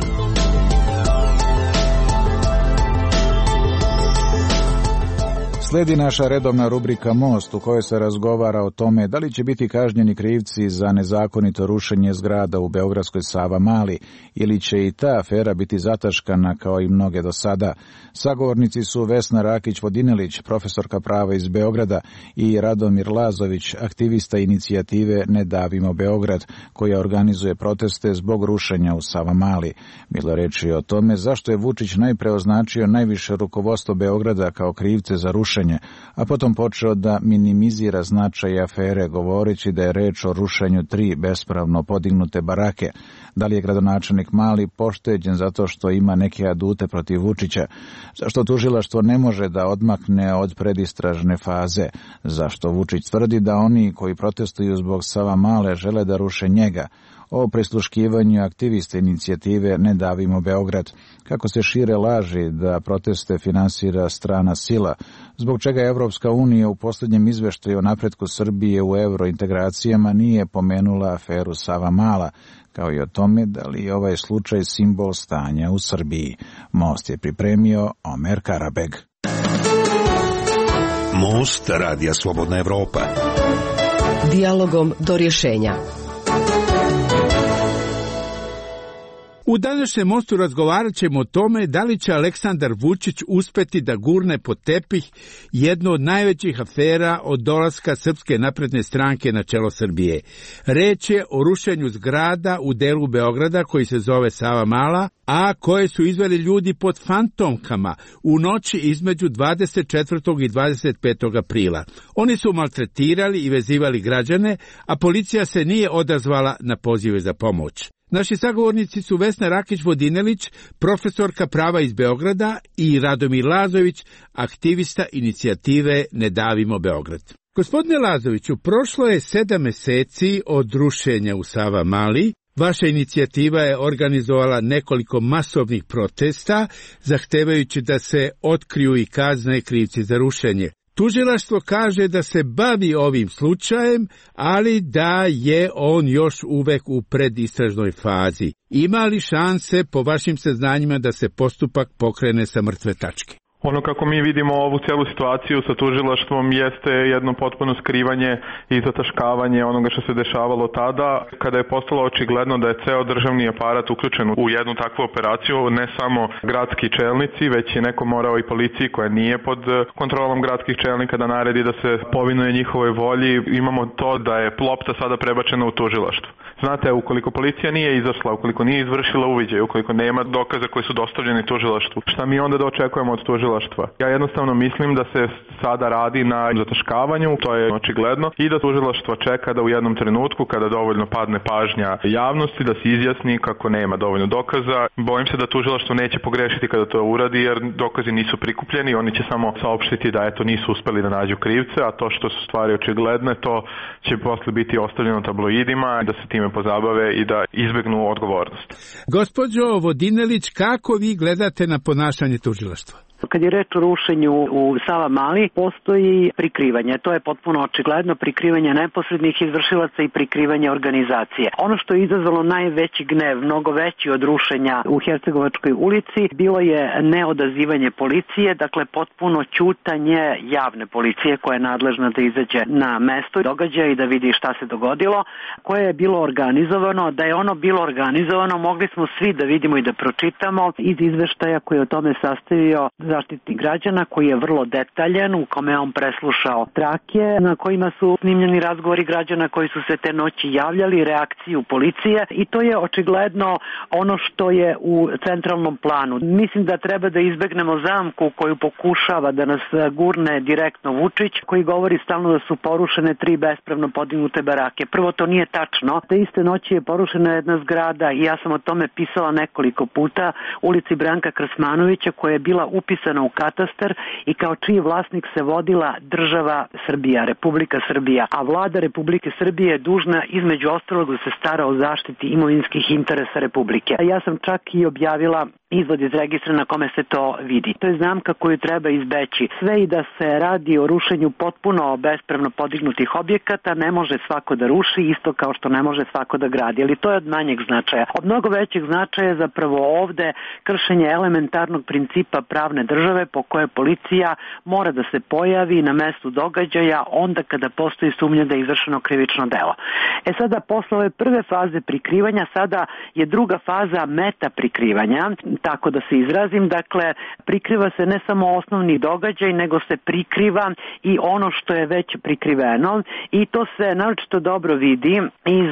Slijedi naša redovna rubrika Most u kojoj se razgovara o tome da li će biti kažnjeni krivci za nezakonito rušenje zgrada u beogradskoj Savamali ili će i ta afera biti zataškana kao i mnoge do sada. Sagovornici su Vesna Rakić-Vodinelić, profesorka prava iz Beograda, i Radomir Lazović, aktivista inicijative Ne davimo Beograd, koja organizuje proteste zbog rušenja u Savamali. Bilo reči o tome zašto je Vučić najpre označio najviše rukovodstvo Beograda kao krivce za rušenje, a potom počeo da minimizira značaj afere, govoreći da je reč o rušenju 3 bespravno podignute barake. Da li je gradonačelnik Mali pošteđen zato što ima neke adute protiv Vučića? Zašto tužilaštvo ne može da odmakne od predistražne faze? Zašto Vučić tvrdi da oni koji protestuju zbog Savamale žele da ruše njega? O prisluškivanju aktivista inicijative Ne davimo Beograd, kako se šire laži da proteste finansira strana sila, zbog čega Evropska unija u posljednjem izveštaju o napretku Srbije u eurointegracijama nije pomenula aferu Savamala, kao i o tome da li je ovaj slučaj simbol stanja u Srbiji. Most je pripremio Omer Karabeg. Most radija Slobodna Evropa. Dijalogom do rješenja. U današnjem mostu razgovarat ćemo o tome da li će Aleksandar Vučić uspeti da gurne pod tepih jednu od najvećih afera od dolaska Srpske napredne stranke na čelo Srbije. Reč je o rušenju zgrada u delu Beograda koji se zove Savamala, a koje su izveli ljudi pod fantomkama u noći između 24. i 25. aprila. Oni su maltretirali i vezivali građane, a policija se nije odazvala na pozive za pomoć. Naši sagovornici su Vesna Rakić-Vodinelić, profesorka prava iz Beograda, i Radomir Lazović, aktivista inicijative Ne davimo Beograd. Gospodine Lazoviću, prošlo je 7 meseci od rušenja u Savamali. Vaša inicijativa je organizovala nekoliko masovnih protesta, zahtevajući da se otkriju i kazne krivci za rušenje. Tužilaštvo kaže da se bavi ovim slučajem, ali da je on još uvek u predistražnoj fazi. Ima li šanse, po vašim saznanjima, da se postupak pokrene sa mrtve tačke? Ono kako mi vidimo ovu cijelu situaciju sa tužilaštvom jeste jedno potpuno skrivanje i zataškavanje onoga što se dešavalo tada, kada je postalo očigledno da je ceo državni aparat uključen u jednu takvu operaciju, ne samo gradski čelnici, već je neko morao i policiji koja nije pod kontrolom gradskih čelnika da naredi da se povinuje njihovoj volji. Imamo to da je lopta sada prebačena u tužilaštvo. Znate, ukoliko policija nije izašla, ukoliko nije izvršila uviđaj, ukoliko nema dokaza koji su dostavljeni tužilaštvu, šta mi onda da očekujemo od tužilaštva? Ja jednostavno mislim da se sada radi na zataškavanju, to je očigledno, i da tužilaštvo čeka da u jednom trenutku, kada dovoljno padne pažnja javnosti, da se izjasni kako nema dovoljno dokaza. Bojim se da tužilaštvo neće pogrešiti kada to uradi, jer dokazi nisu prikupljeni, oni će samo saopštiti da eto nisu uspeli da nađu krivce, a to što su stvari očigledne, to će posle biti ostavljeno tabloidima, da se time pozabave i da izbegnu odgovornost. Gospođo Vodinelić, kako vi gledate na ponašanje tužilaštva? Kad je reč o rušenju u Savamali, postoji prikrivanje. To je potpuno očigledno, prikrivanje neposrednih izvršilaca i prikrivanje organizacije. Ono što je izazvalo najveći gnev, mnogo veći od rušenja u Hercegovačkoj ulici, bilo je neodazivanje policije, dakle potpuno ćutanje javne policije koja je nadležna da izađe na mesto događaja i da vidi šta se dogodilo, koje je bilo organizovano. Da je ono bilo organizovano, mogli smo svi da vidimo i da pročitamo iz izveštaja koji je o tome sastavio Zaštitnik građana koji je vrlo detaljan, u kome on preslušao trake na kojima su snimljeni razgovori građana koji su se te noći javljali, reakciju policije i to je očigledno ono što je u centralnom planu. Mislim da treba da izbegnemo zamku koju pokušava da nas gurne direktno Vučić, koji govori stalno da su porušene 3 bespravno podignute barake. Prvo, to nije tačno. Te iste noći je porušena jedna zgrada i ja sam o tome pisala nekoliko puta, ulici Branka Krasmanovića, koja je bila upisana u katastar i kao čiji vlasnik se vodila država Srbija, Republika Srbija, a vlada Republike Srbije je dužna između ostalog da se stara o zaštiti imovinskih interesa Republike. Ja sam čak i objavila izvod iz registra na kome se to vidi. To je zamka koju treba izbeći. Sve i da se radi o rušenju potpuno bespravno podignutih objekata, ne može svako da ruši, isto kao što ne može svako da gradi, ali to je od manjeg značaja. Od mnogo većeg značaja je zapravo ovde kršenje elementarnog principa pravne države po koje policija mora da se pojavi na mestu događaja onda kada postoji sumnja da je izvršeno krivično delo. Sada, posle ove prve faze prikrivanja, sada je druga faza meta prikrivanja, tako da se izrazim, dakle, prikriva se ne samo osnovni događaj, nego se prikriva i ono što je već prikriveno i to se naročito dobro vidi iz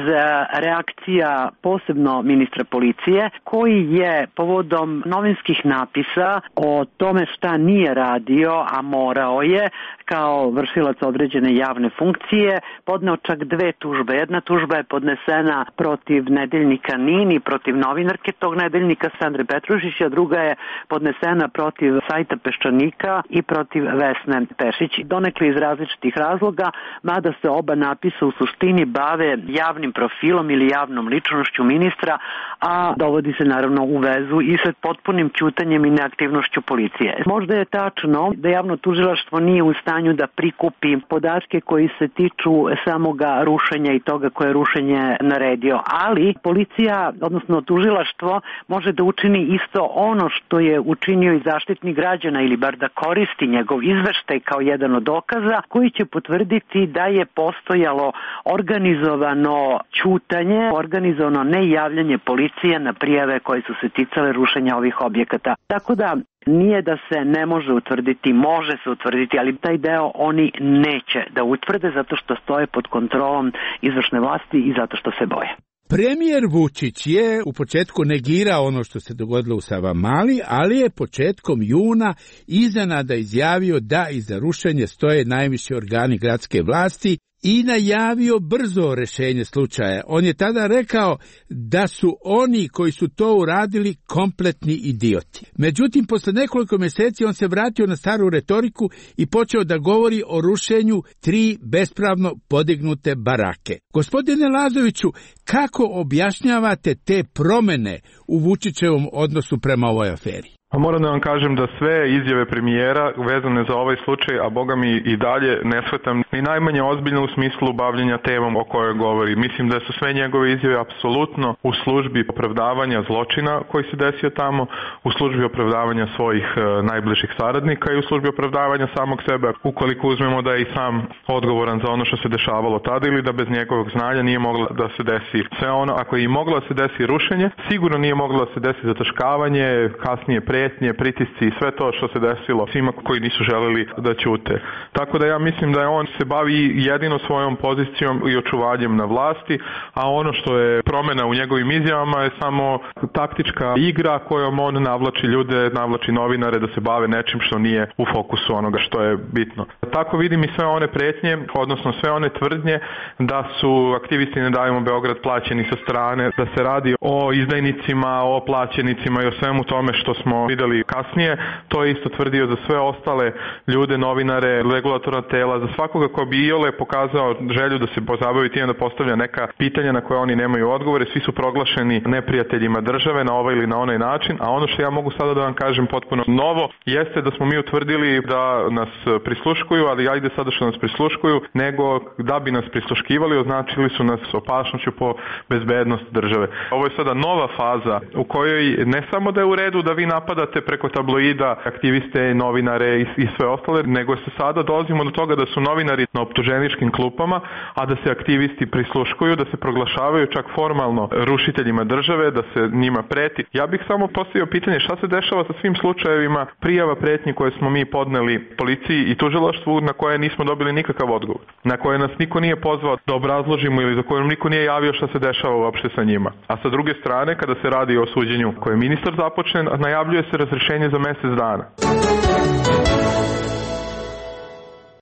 reakcija posebno ministra policije, koji je povodom novinskih napisa o tome šta nije radio, a morao je, kao vršilac određene javne funkcije, podneo čak 2 tužbe. Jedna tužba je podnesena protiv nedeljnika NIN i protiv novinarke tog nedeljnika Sandre Petrušić, a druga je podnesena protiv sajta Peščanika i protiv Vesne Pešić. Donekle iz različitih razloga, mada se oba napisa u suštini bave javnim profilom ili javnom ličnošću ministra, a dovodi se naravno u vezu i sa potpunim ćutanjem i neaktivnošću policije. Možda je tačno da javno tužilaštvo nije u stanju da prikupi podatke koji se tiču samoga rušenja i toga koje je rušenje naredio, ali policija, odnosno tužilaštvo, može da učini isto ono što je učinio i Zaštitnik građana ili bar da koristi njegov izveštaj kao jedan od dokaza koji će potvrditi da je postojalo organizovano ćutanje, organizovano nejavljanje policije na prijave koje su se ticale rušenja ovih objekata. Tako da nije da se ne može utvrditi, može se utvrditi, ali taj deo oni neće da utvrde zato što stoje pod kontrolom izvršne vlasti i zato što se boje. Premijer Vučić je u početku negirao ono što se dogodilo u Savamali, ali je početkom juna iznenada izjavio da iza rušenja stoje najviši organi gradske vlasti i najavio brzo rešenje slučaja. On je tada rekao da su oni koji su to uradili kompletni idioti. Međutim, posle nekoliko mjeseci on se vratio na staru retoriku i počeo da govori o rušenju 3 bespravno podignute barake. Gospodine Lazoviću, kako objašnjavate te promene u Vučićevom odnosu prema ovoj aferi? A moram da vam kažem da sve izjave premijera vezane za ovaj slučaj, a boga mi i dalje ne shvatam ni najmanje ozbiljno u smislu bavljenja temom o kojoj govori. Mislim da su sve njegove izjave apsolutno u službi opravdavanja zločina koji se desio tamo, u službi opravdavanja svojih najbližih saradnika i u službi opravdavanja samog sebe, ukoliko uzmemo da je i sam odgovoran za ono što se dešavalo tada ili da bez njegovog znanja nije moglo da se desi sve ono. Ako je i moglo da se desi rušenje, sigurno nije moglo da se desi zataškavanje, kasnije prijetnje, pritisci i sve to što se desilo svima koji nisu želeli da ćute. Tako da ja mislim da on se bavi jedino svojom pozicijom i očuvanjem na vlasti, a ono što je promena u njegovim izjavama je samo taktička igra kojom on navlači ljude, navlači novinare da se bave nečim što nije u fokusu onoga što je bitno. Tako vidim i sve one prijetnje, odnosno sve one tvrdnje da su aktivisti Ne davimo Beograd plaćeni sa strane, da se radi o izdajnicima, o plaćenicima i o svemu tome što smo videli kasnije. To je isto tvrdio za sve ostale ljude, novinare, regulatorna tela, za svakoga ko bi iole pokazao želju da se pozabavi time da postavlja neka pitanja na koje oni nemaju odgovore. Svi su proglašeni neprijateljima države na ovaj ili na onaj način, a ono što ja mogu sada da vam kažem potpuno novo jeste da smo mi utvrdili da nas prisluškuju, ali ajde sada što nas prisluškuju, nego da bi nas prisluškivali označili su nas opasnošću po bezbednost države. Ovo je sada nova faza u kojoj ne samo da je u redu da vi napadate napadate preko tabloida aktiviste, novinare i sve ostale, nego se sada dolazimo do toga da su novinari na optuženičkim klupama, a da se aktivisti prisluškuju, da se proglašavaju čak formalno rušiteljima države, da se njima preti. Ja bih samo postavio pitanje šta se dešava sa svim slučajevima prijava pretnji koje smo mi podneli policiji i tužilaštvu na koje nismo dobili nikakav odgovor, na koje nas niko nije pozvao da obrazložimo ili za koje niko nije javio šta se dešava uopšte sa njima. A sa druge strane, kada se radi o suđenju koje ministar započne, najavljuje se razrešenje za mesec dana.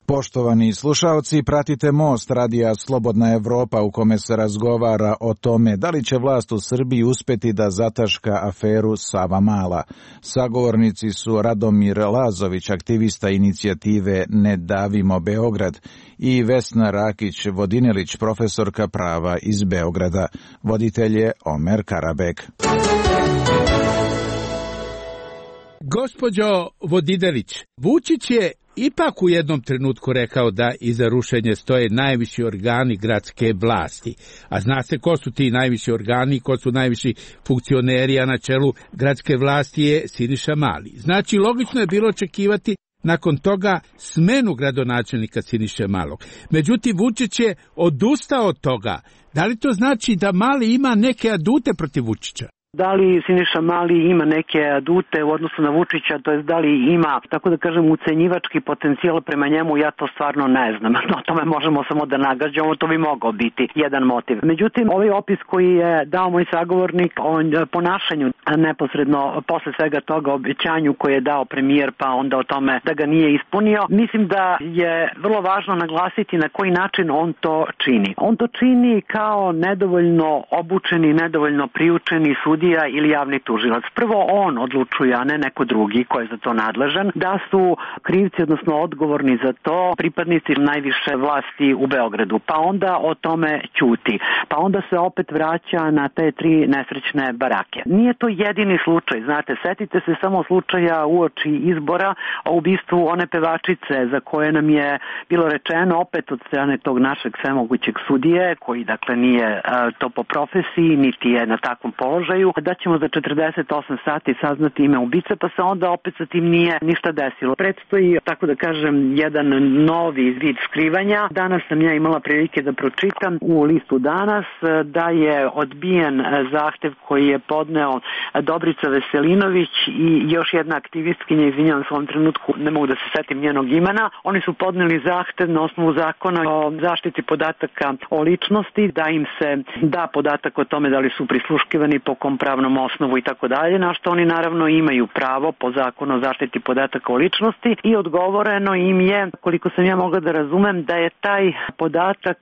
Poštovani slušaoci, pratite Most radija Slobodna Evropa u kome se razgovara o tome da li će vlast u Srbiji uspeti da zataška aferu Savamala. Sagovornici su Radomir Lazović, aktivista inicijative Ne davimo Beograd, i Vesna Rakić-Vodinelić, profesorka prava iz Beograda. Voditelj je Omer Karabek. Gospođo Vodinelić, Vučić je ipak u jednom trenutku rekao da iza rušenja stoje najviši organi gradske vlasti. A zna se ko su ti najviši organi, ko su najviši funkcioneri, a na čelu gradske vlasti je Siniša Mali. Znači, logično je bilo očekivati nakon toga smenu gradonačelnika Siniše Malog. Međutim, Vučić je odustao od toga. Da li to znači da Mali ima neke adute protiv Vučića? Da li Siniša Mali ima neke adute u odnosu na Vučića, to jest da li ima, tako da kažem, ucenjivački potencijal prema njemu, ja to stvarno ne znam. O tome možemo samo da nagađamo, to bi mogao biti jedan motiv. Međutim, ovaj opis koji je dao moj sagovornik o ponašanju neposredno posle svega toga, obećanju koje je dao premijer, pa onda o tome da ga nije ispunio, mislim da je vrlo važno naglasiti na koji način on to čini. On to čini kao nedovoljno obučeni, nedovoljno priučeni sudija ili javni tužilac. Prvo on odlučuje, a ne neko drugi ko je za to nadležan, da su krivci, odnosno odgovorni za to, pripadnici najviše vlasti u Beogradu. Pa onda o tome ćuti. Pa onda se opet vraća na te 3 nesrećne barake. Nije to jedini slučaj, znate, setite se samo slučaja uoči izbora o ubistvu one pevačice za koje nam je bilo rečeno opet od strane tog našeg svemogućeg sudije, koji dakle nije to po profesiji, niti je na takvom položaju, da ćemo za 48 sati saznati ime ubice, pa se onda opet sa tim nije ništa desilo. Predstoji, tako da kažem, jedan novi vid skrivanja. Danas sam ja imala prilike da pročitam u listu Danas da je odbijen zahtev koji je podneo Dobrica Veselinović i još jedna aktivistkinja, izvinjavam se u ovom trenutku, ne mogu da se setim njenog imena. Oni su podneli zahtev na osnovu zakona o zaštiti podataka o ličnosti, da im se da podatak o tome da li su prisluškivani, po kom pravnom osnovu i tako dalje, na što oni naravno imaju pravo po zakonu o zaštiti podataka o ličnosti, i odgovoreno im je, koliko sam ja mogla da razumem, da je taj podatak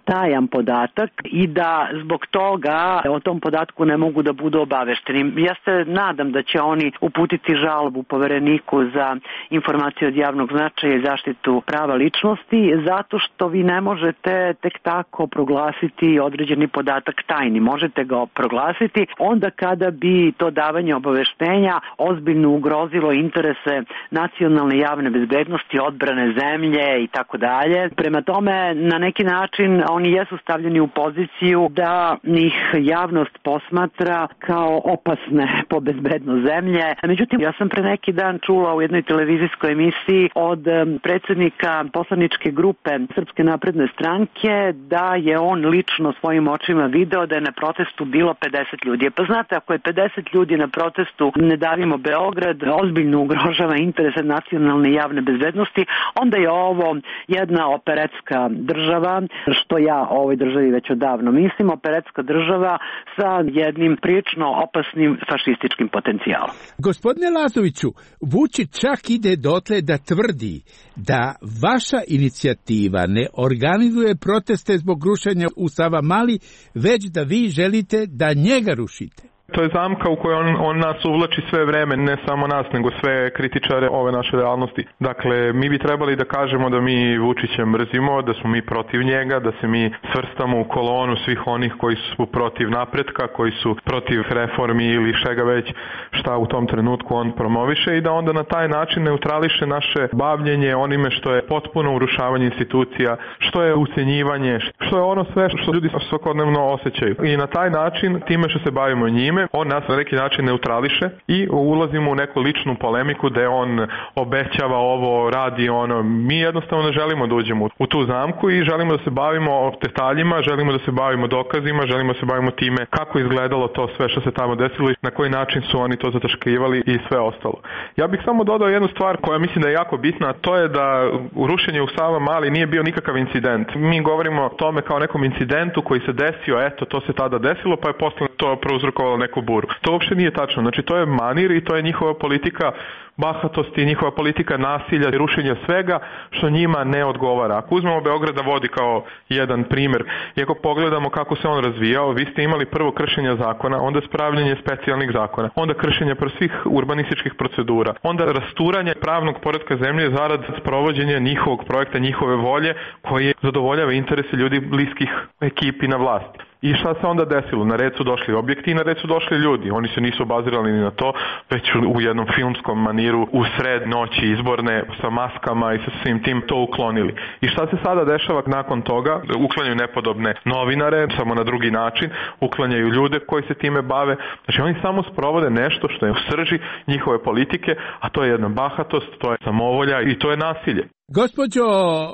tajan podatak i da zbog toga o tom podatku ne mogu da budu obavešteni. Ja se nadam da će oni uputiti žalbu Povereniku za informacije od javnog značaja i zaštitu prava ličnosti, zato što vi ne možete tek tako proglasiti određeni podatak tajni. Možete ga proglasiti onda kada bi to davanje obaveštenja ozbiljno ugrozilo interese nacionalne javne bezbednosti, odbrane zemlje i tako dalje. Prema tome, na neki način oni jesu stavljeni u poziciju da ih javnost posmatra kao opasne po bezbednost zemlje. Međutim, ja sam pre neki dan čula u jednoj televizijskoj emisiji od predsjednika poslaničke grupe Srpske napredne stranke da je on lično svojim očima video da je na protestu bilo 50 ljudi. Pa znate, ako je 50 ljudi na protestu Ne davimo Beograd, ozbiljno ugrožava interese nacionalne javne bezbednosti, onda je ovo jedna operetska država, što ja o ovoj državi već odavno mislim, operetska država sa jednim prilično opasnim fašističkim potencijalom. Gospodine Lazoviću, Vučić čak ide dotle da tvrdi da vaša inicijativa ne organizuje proteste zbog rušenja u Savamali, već da vi želite da njega rušite. To je zamka u kojoj on nas uvlači sve vreme, ne samo nas, nego sve kritičare ove naše realnosti. Dakle, mi bi trebali da kažemo da mi Vučića mrzimo, da smo mi protiv njega, da se mi svrstamo u kolonu svih onih koji su protiv napretka, koji su protiv reformi ili šega već šta u tom trenutku on promoviše, i da onda na taj način neutrališe naše bavljenje onime što je potpuno urušavanje institucija, što je ucenjivanje, što je ono sve što ljudi svakodnevno osjećaju. I na taj način, time što se bavimo njime, time on nas na neki način neutrališe i ulazimo u neku ličnu polemiku da on obećava ovo, radi ono. Mi jednostavno ne želimo da uđemo u tu zamku i želimo da se bavimo detaljima, želimo da se bavimo dokazima, želimo da se bavimo time kako izgledalo to sve što se tamo desilo i na koji način su oni to zataškivali i sve ostalo. Ja bih samo dodao jednu stvar koja mislim da je jako bitna, a to je da rušenje u Savamali nije bio nikakav incident. Mi govorimo o tome kao nekom incidentu koji se desio, eto, to se tada desilo, pa je posle to prouzrokovalo neku buru. To uopšte nije tačno. Znači, to je manir i to je njihova politika bahatosti, njihova politika nasilja i rušenja svega što njima ne odgovara. Ako uzmemo Beograd da vodi kao jedan primjer i ako pogledamo kako se on razvijao, vi ste imali prvo kršenje zakona, onda spravljanje specijalnih zakona, onda kršenje svih urbanističkih procedura, onda rasturanje pravnog poretka zemlje zarad sprovođenja njihovog projekta, njihove volje koji zadovoljava interese ljudi bliskih ekipi na vlasti. I šta se onda desilo? Na red su došli objekti i na red su došli ljudi. Oni se nisu obazirali ni na to, već u jednom filmskom maniru u sred noći izborne sa maskama i sa svim tim to uklonili. I šta se sada dešava nakon toga? Uklanjaju nepodobne novinare, samo na drugi način, uklanjaju ljude koji se time bave. Znači oni samo sprovode nešto što je u srži njihove politike, a to je jedna bahatost, to je samovolja i to je nasilje. Gospođo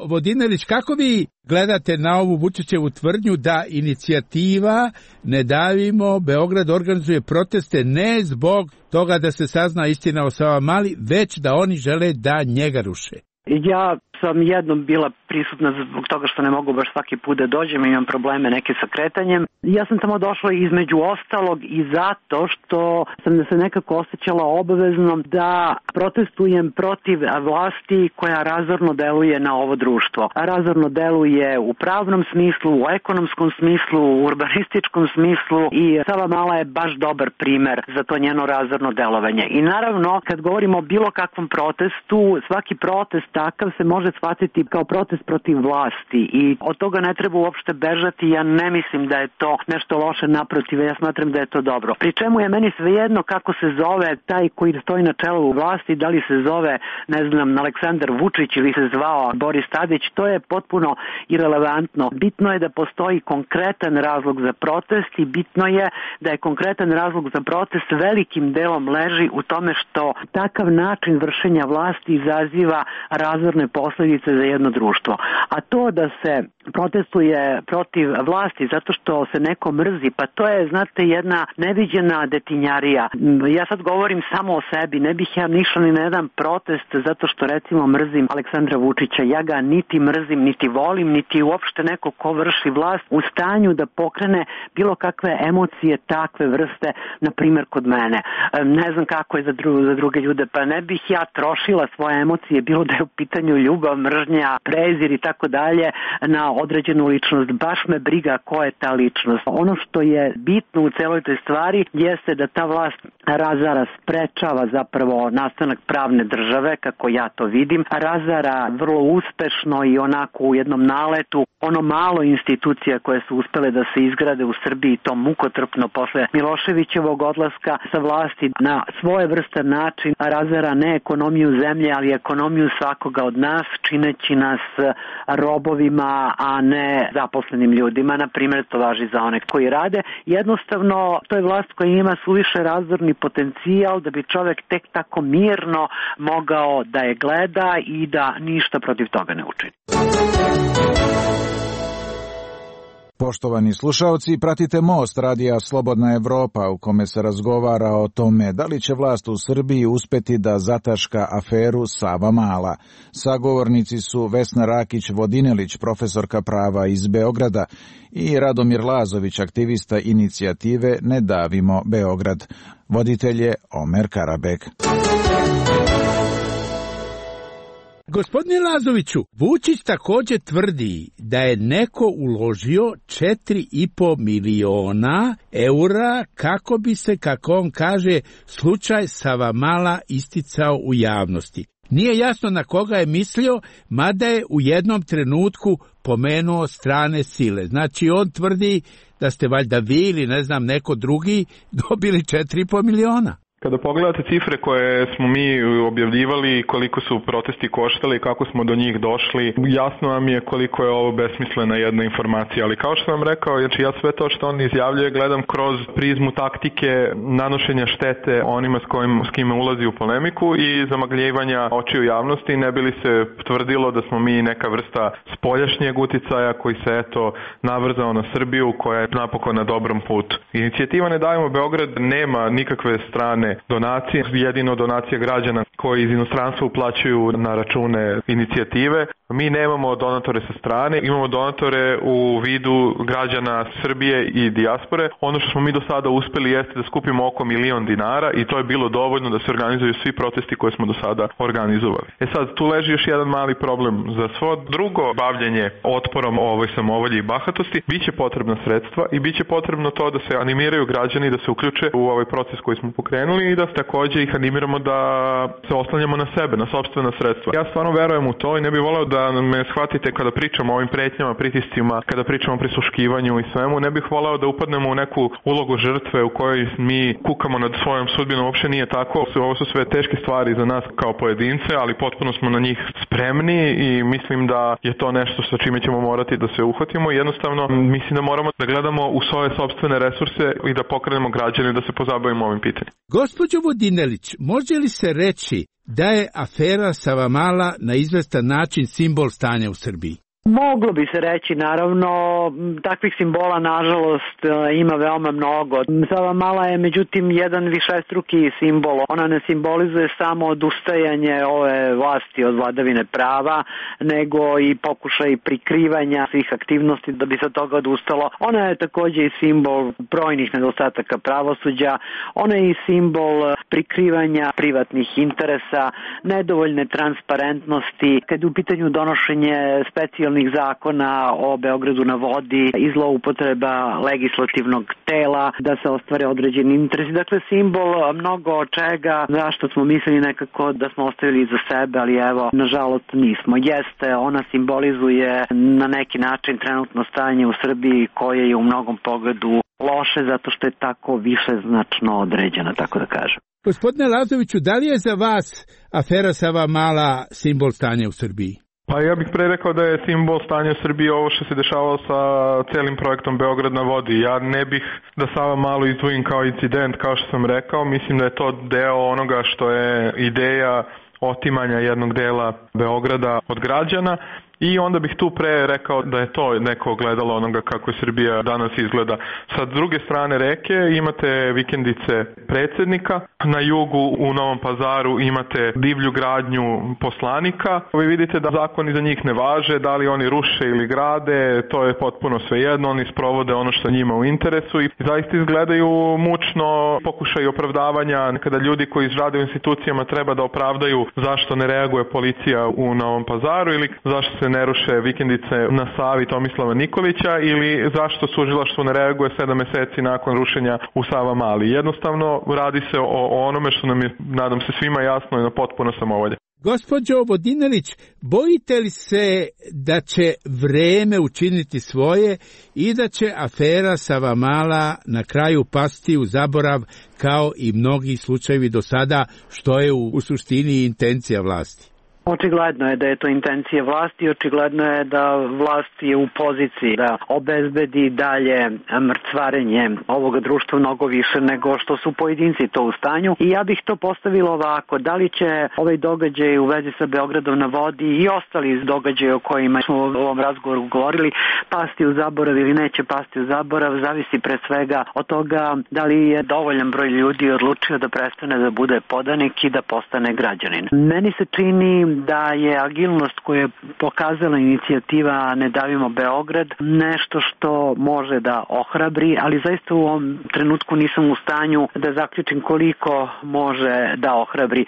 Vodinelić, kako vi gledate na ovu Vučićevu tvrdnju da inicijativa Ne davimo Beograd organizuje proteste ne zbog toga da se sazna istina o Savamali, već da oni žele da njega ruše? Ja sam jednom bila prisutna zbog toga što ne mogu baš svaki put da dođem, imam probleme neke sa kretanjem. Ja sam tamo došla između ostalog i zato što sam se nekako osjećala obaveznom da protestujem protiv vlasti koja razorno deluje na ovo društvo. Razorno deluje u pravnom smislu, u ekonomskom smislu, u urbanističkom smislu i Savamala je baš dobar primer za to njeno razorno delovanje. I naravno, kad govorimo o bilo kakvom protestu, svaki protest takav se može shvatiti kao protest protiv vlasti i od toga ne treba uopšte bežati. Ja ne mislim da je to nešto loše, naprotiv, ja smatram da je to dobro. Pri čemu je meni svejedno kako se zove taj koji stoji na čelu vlasti, da li se zove, ne znam, Aleksandar Vučić ili se zvao Boris Tadić, to je potpuno irelevantno. Bitno je da postoji konkretan razlog za protest i bitno je da je konkretan razlog za protest velikim delom leži u tome što takav način vršenja vlasti izaziva razorne posljedice za jedno društvo. A to da se protestuje protiv vlasti zato što se neko mrzi, pa to je, znate, jedna neviđena detinjarija. Ja sad govorim samo o sebi, ne bih ja nišla ni na jedan protest zato što recimo mrzim Aleksandra Vučića. Ja ga niti mrzim, niti volim, niti uopšte neko ko vrši vlast u stanju da pokrene bilo kakve emocije takve vrste, na primjer kod mene. Ne znam kako je za druge ljude, pa ne bih ja trošila svoje emocije, bilo da je u pitanju ljubav, mržnja, prezir i tako dalje, na određenu ličnost. Baš me briga ko je ta ličnost. Ono što je bitno u celoj toj stvari jeste da ta vlast razara, sprečava zapravo nastanak pravne države, kako ja to vidim, razara vrlo uspešno i onako u jednom naletu ono malo institucija koje su uspele da se izgrade u Srbiji, to mukotrpno posle Miloševićevog odlaska sa vlasti, na svojevrstan način razara ne ekonomiju zemlje, ali ekonomiju svakoga od nas, čineći nas robovima, a ne zaposlenim ljudima. Na primjer, to važi za one koji rade. Jednostavno, to je vlast koja ima suviše razorni potencijal da bi čovek tek tako mirno mogao da je gleda i da ništa protiv toga ne učini. Poštovani slušalci, pratite Most radija Slobodna Evropa u kome se razgovara o tome da li će vlast u Srbiji uspeti da zataška aferu Savamala. Sagovornici su Vesna Rakić-Vodinelić, profesorka prava iz Beograda, i Radomir Lazović, aktivista inicijative Ne davimo Beograd. Voditelj je Omer Karabek. Gospodine Lazoviću, Vučić također tvrdi da je neko uložio 4,5 miliona eura kako bi se, kako on kaže, slučaj Savamala isticao u javnosti. Nije jasno na koga je mislio, mada je u jednom trenutku pomenuo strane sile. Znači on tvrdi da ste valjda vi ili ne znam neko drugi dobili 4,5 miliona. Kada pogledate cifre koje smo mi objavljivali, koliko su protesti koštali, kako smo do njih došli, jasno vam je koliko je ovo besmislena jedna informacija. Ali kao što vam rekao, znači ja sve to što on izjavljuje gledam kroz prizmu taktike nanošenja štete onima s kime ulazi u polemiku i zamagljivanja očiju javnosti, ne bi li se tvrdilo da smo mi neka vrsta spoljašnjeg uticaja koji se navrzao na Srbiju, koja je napokon na dobrom putu. Inicijativa Ne davimo Beograd nema nikakve strane donacije, jedino donacije građana koji iz inostranstva uplaćuju na račune inicijative. Mi nemamo donatore sa strane, imamo donatore u vidu građana Srbije i dijaspore. Ono što smo mi do sada uspeli jeste da skupimo oko $1.000.000 i to je bilo dovoljno da se organizuju svi protesti koje smo do sada organizovali. Sad, tu leži još jedan mali problem. Za svo drugo bavljenje otporom ovoj samovolji i bahatosti biće potrebna sredstva i biće potrebno to da se animiraju građani da se uključe u ovaj proces koji smo pokrenuli i da takođe ih animiramo da se oslanjamo na sebe, na sopstvena sredstva. Ja stvarno verujem u to i ne bih voleo da me shvatite kada pričamo o ovim pretnjama, pritiscima, kada pričamo o prisluškivanju i svemu, ne bih voleo da upadnemo u neku ulogu žrtve u kojoj mi kukamo nad svojom sudbinom. Uopšte nije tako. Ovo su sve teške stvari za nas kao pojedince, ali potpuno smo na njih spremni i mislim da je to nešto sa čime ćemo morati da se uhvatimo. Jednostavno mislim da moramo da gledamo u svoje sopstvene resurse i da pokrenemo građane da se pozabavimo ovim pitanjem. Gospođo Vodinelić, može li se reći da je afera Savamala na izvestan način simbol stanja u Srbiji? Moglo bi se reći, naravno, takvih simbola nažalost ima veoma mnogo. Savamala je međutim jedan višestruki simbol. Ona ne simbolizuje samo odustajanje ove vlasti od vladavine prava, nego i pokušaj prikrivanja svih aktivnosti da bi se od toga odustalo. Ona je takođe i simbol brojnih nedostataka pravosuđa, ona je i simbol prikrivanja privatnih interesa, nedovoljne transparentnosti, kad je u pitanju donošenje specijalnih zakona o Beogradu na vodi i zloupotreba legislativnog tela da se ostvare određeni interesi. Dakle, simbol mnogo čega zašto smo mislili nekako da smo ostavili iza sebe, ali evo, nažalost nismo. Jeste, ona simbolizuje na neki način trenutno stanje u Srbiji koje je u mnogom pogledu loše zato što je tako višeznačno određena, tako da kažem. Gospodine Lazoviću, da li je za vas afera Savamala simbol stanja u Srbiji? Pa ja bih pre rekao da je simbol stanja u Srbiji ovo što se dešavalo sa celim projektom Beograd na vodi. Ja ne bih da Savamalu izdvojim kao incident, kao što sam rekao. Mislim da je to deo onoga što je ideja otimanja jednog dela Beograda od građana. I onda bih tu pre rekao da je to neko ogledalo onoga kako je Srbija danas izgleda. Sa druge strane reke imate vikendice predsjednika, na jugu u Novom Pazaru imate divlju gradnju poslanika. Vi vidite da zakoni za njih ne važe, da li oni ruše ili grade, to je potpuno svejedno, oni sprovode ono što njima u interesu i zaista izgledaju mučno pokušaj opravdavanja kada ljudi koji rade u institucijama treba da opravdaju zašto ne reaguje policija u Novom Pazaru ili zašto se ne ruše vikendice na Savi Tomislava Nikolića ili zašto tužilaštvo ne reaguje 7 meseci nakon rušenja u Savamali. Jednostavno radi se o onome što nam je, nadam se, svima jasno i na potpuno samovolje. Gospođo Vodinelić, bojite li se da će vreme učiniti svoje i da će afera Savamala na kraju pasti u zaborav kao i mnogi slučajevi do sada, što je u suštini intencija vlasti? Očigledno je da je to intencija vlasti, očigledno je da vlast je u poziciji da obezbedi dalje mrcvarenje ovoga društva mnogo više nego što su pojedinci to u stanju. I ja bih to postavila ovako, da li će ovaj događaj u vezi sa Beogradom na vodi i ostali događaje o kojima smo u ovom razgovoru govorili pasti u zaborav ili neće pasti u zaborav, zavisi pre svega od toga da li je dovoljan broj ljudi odlučio da prestane da bude podanik i da postane građanin. Meni se čini da je agilnost koju je pokazala inicijativa Ne davimo Beograd nešto što može da ohrabri, ali zaista u ovom trenutku nisam u stanju da zaključim koliko može da ohrabri.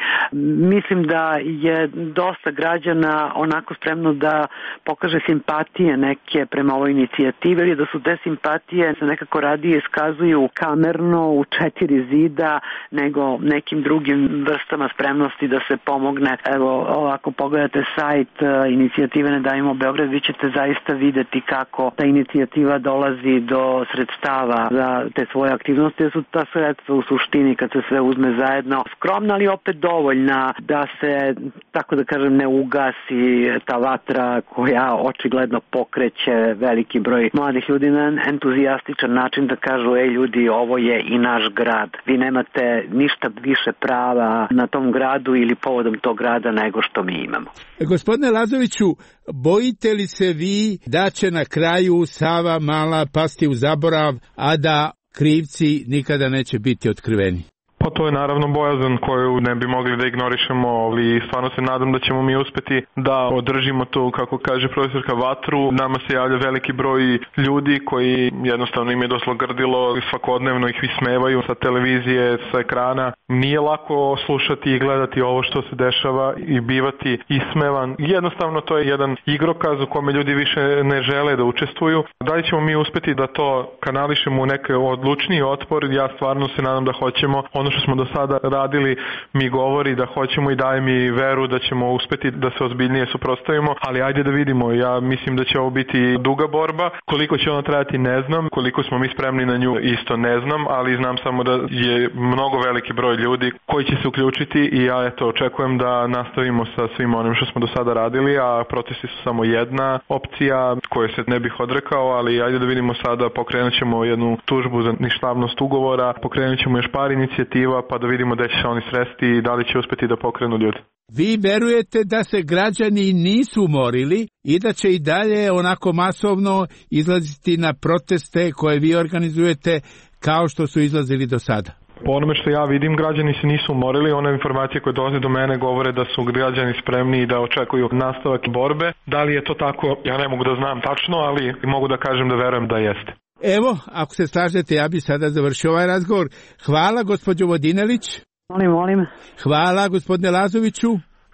Mislim da je dosta građana onako spremno da pokaže simpatije neke prema ovoj inicijativi, ili da su te simpatije se nekako radije iskazuju kamerno u 4 zida nego nekim drugim vrstama spremnosti da se pomogne evo ova ako pogledate sajt inicijative Ne davimo Beograd, vi ćete zaista videti kako ta inicijativa dolazi do sredstava za te svoje aktivnosti, jer su ta sredstva u suštini, kad se sve uzme zajedno, skromna, ali opet dovoljna da se, tako da kažem, ne ugasi ta vatra koja očigledno pokreće veliki broj mladih ljudi na entuzijastičan način da kažu, ljudi, ovo je i naš grad. Vi nemate ništa više prava na tom gradu ili povodom tog grada nego što mi imamo. Gospodine Lazoviću, bojite li se vi da će na kraju Sava Mala pasti u zaborav, a da krivci nikada neće biti otkriveni? Pa to je naravno bojazan koju ne bi mogli da ignorišemo, ali stvarno se nadam da ćemo mi uspeti da održimo to, kako kaže profesorka, vatru. Nama se javlja veliki broj ljudi koji jednostavno im je doslo grdilo, svakodnevno ih ismevaju sa televizije, sa ekrana. Nije lako slušati i gledati ovo što se dešava i bivati ismevan. Jednostavno to je jedan igrokaz u kome ljudi više ne žele da učestvuju. Da li ćemo mi uspeti da to kanališemo u neke odlučniji otpor? Ja stvarno se nadam da hoćemo. Ono što smo do sada radili mi govori da hoćemo i daje mi veru da ćemo uspeti da se ozbiljnije suprotstavimo, ali ajde da vidimo. Ja mislim da će ovo biti duga borba. Koliko će ona trajati ne znam, koliko smo mi spremni na nju isto ne znam, ali znam samo da je mnogo veliki broj ljudi koji će se uključiti i ja očekujem da nastavimo sa svim onim što smo do sada radili, a protesti su samo jedna opcija koje se ne bih odrekao, ali ajde da vidimo sada, pokrenut ćemo jednu tužbu za ništavnost ugovora, pokrenut ćemo još par inicijativa pa da vidimo da će se oni sresti i da li će uspeti da pokrenu ljudi. Vi verujete da se građani nisu umorili i da će i dalje onako masovno izlaziti na proteste koje vi organizujete kao što su izlazili do sada? Po onome što ja vidim, građani se nisu umorili. One informacije koje dolaze do mene govore da su građani spremni i da očekuju nastavak borbe. Da li je to tako, ja ne mogu da znam tačno, ali mogu da kažem da verujem da jeste. Evo, ako se slažete, ja bi sada završio ovaj razgovor. Hvala, gospođo Vodinelić. Molim. Hvala, gospodine Lazoviću.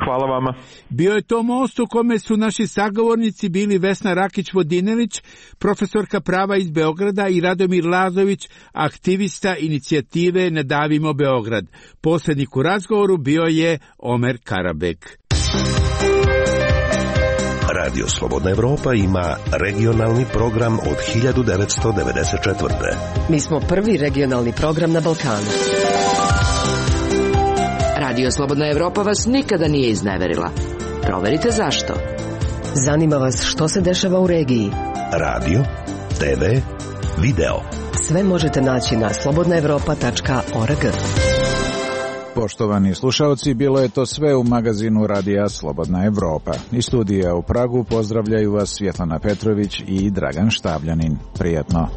Hvala vama. Bio je to most u kome su naši sagovornici bili Vesna Rakić-Vodinelić, profesorka prava iz Beograda, i Radomir Lazović, aktivista inicijative Ne davimo Beograd. Posrednik u razgovoru bio je Omer Karabek. Radio Slobodna Evropa ima regionalni program od 1994. Mi smo prvi regionalni program na Balkanu. Radio Slobodna Evropa vas nikada nije izneverila. Proverite zašto. Zanima vas što se dešava u regiji. Radio, TV, video. Sve možete naći na slobodnaevropa.org. Poštovani slušalci, bilo je to sve u magazinu Radija Slobodna Evropa. Iz studija u Pragu pozdravljaju vas Svjetlana Petrović i Dragan Štavljanin. Prijatno.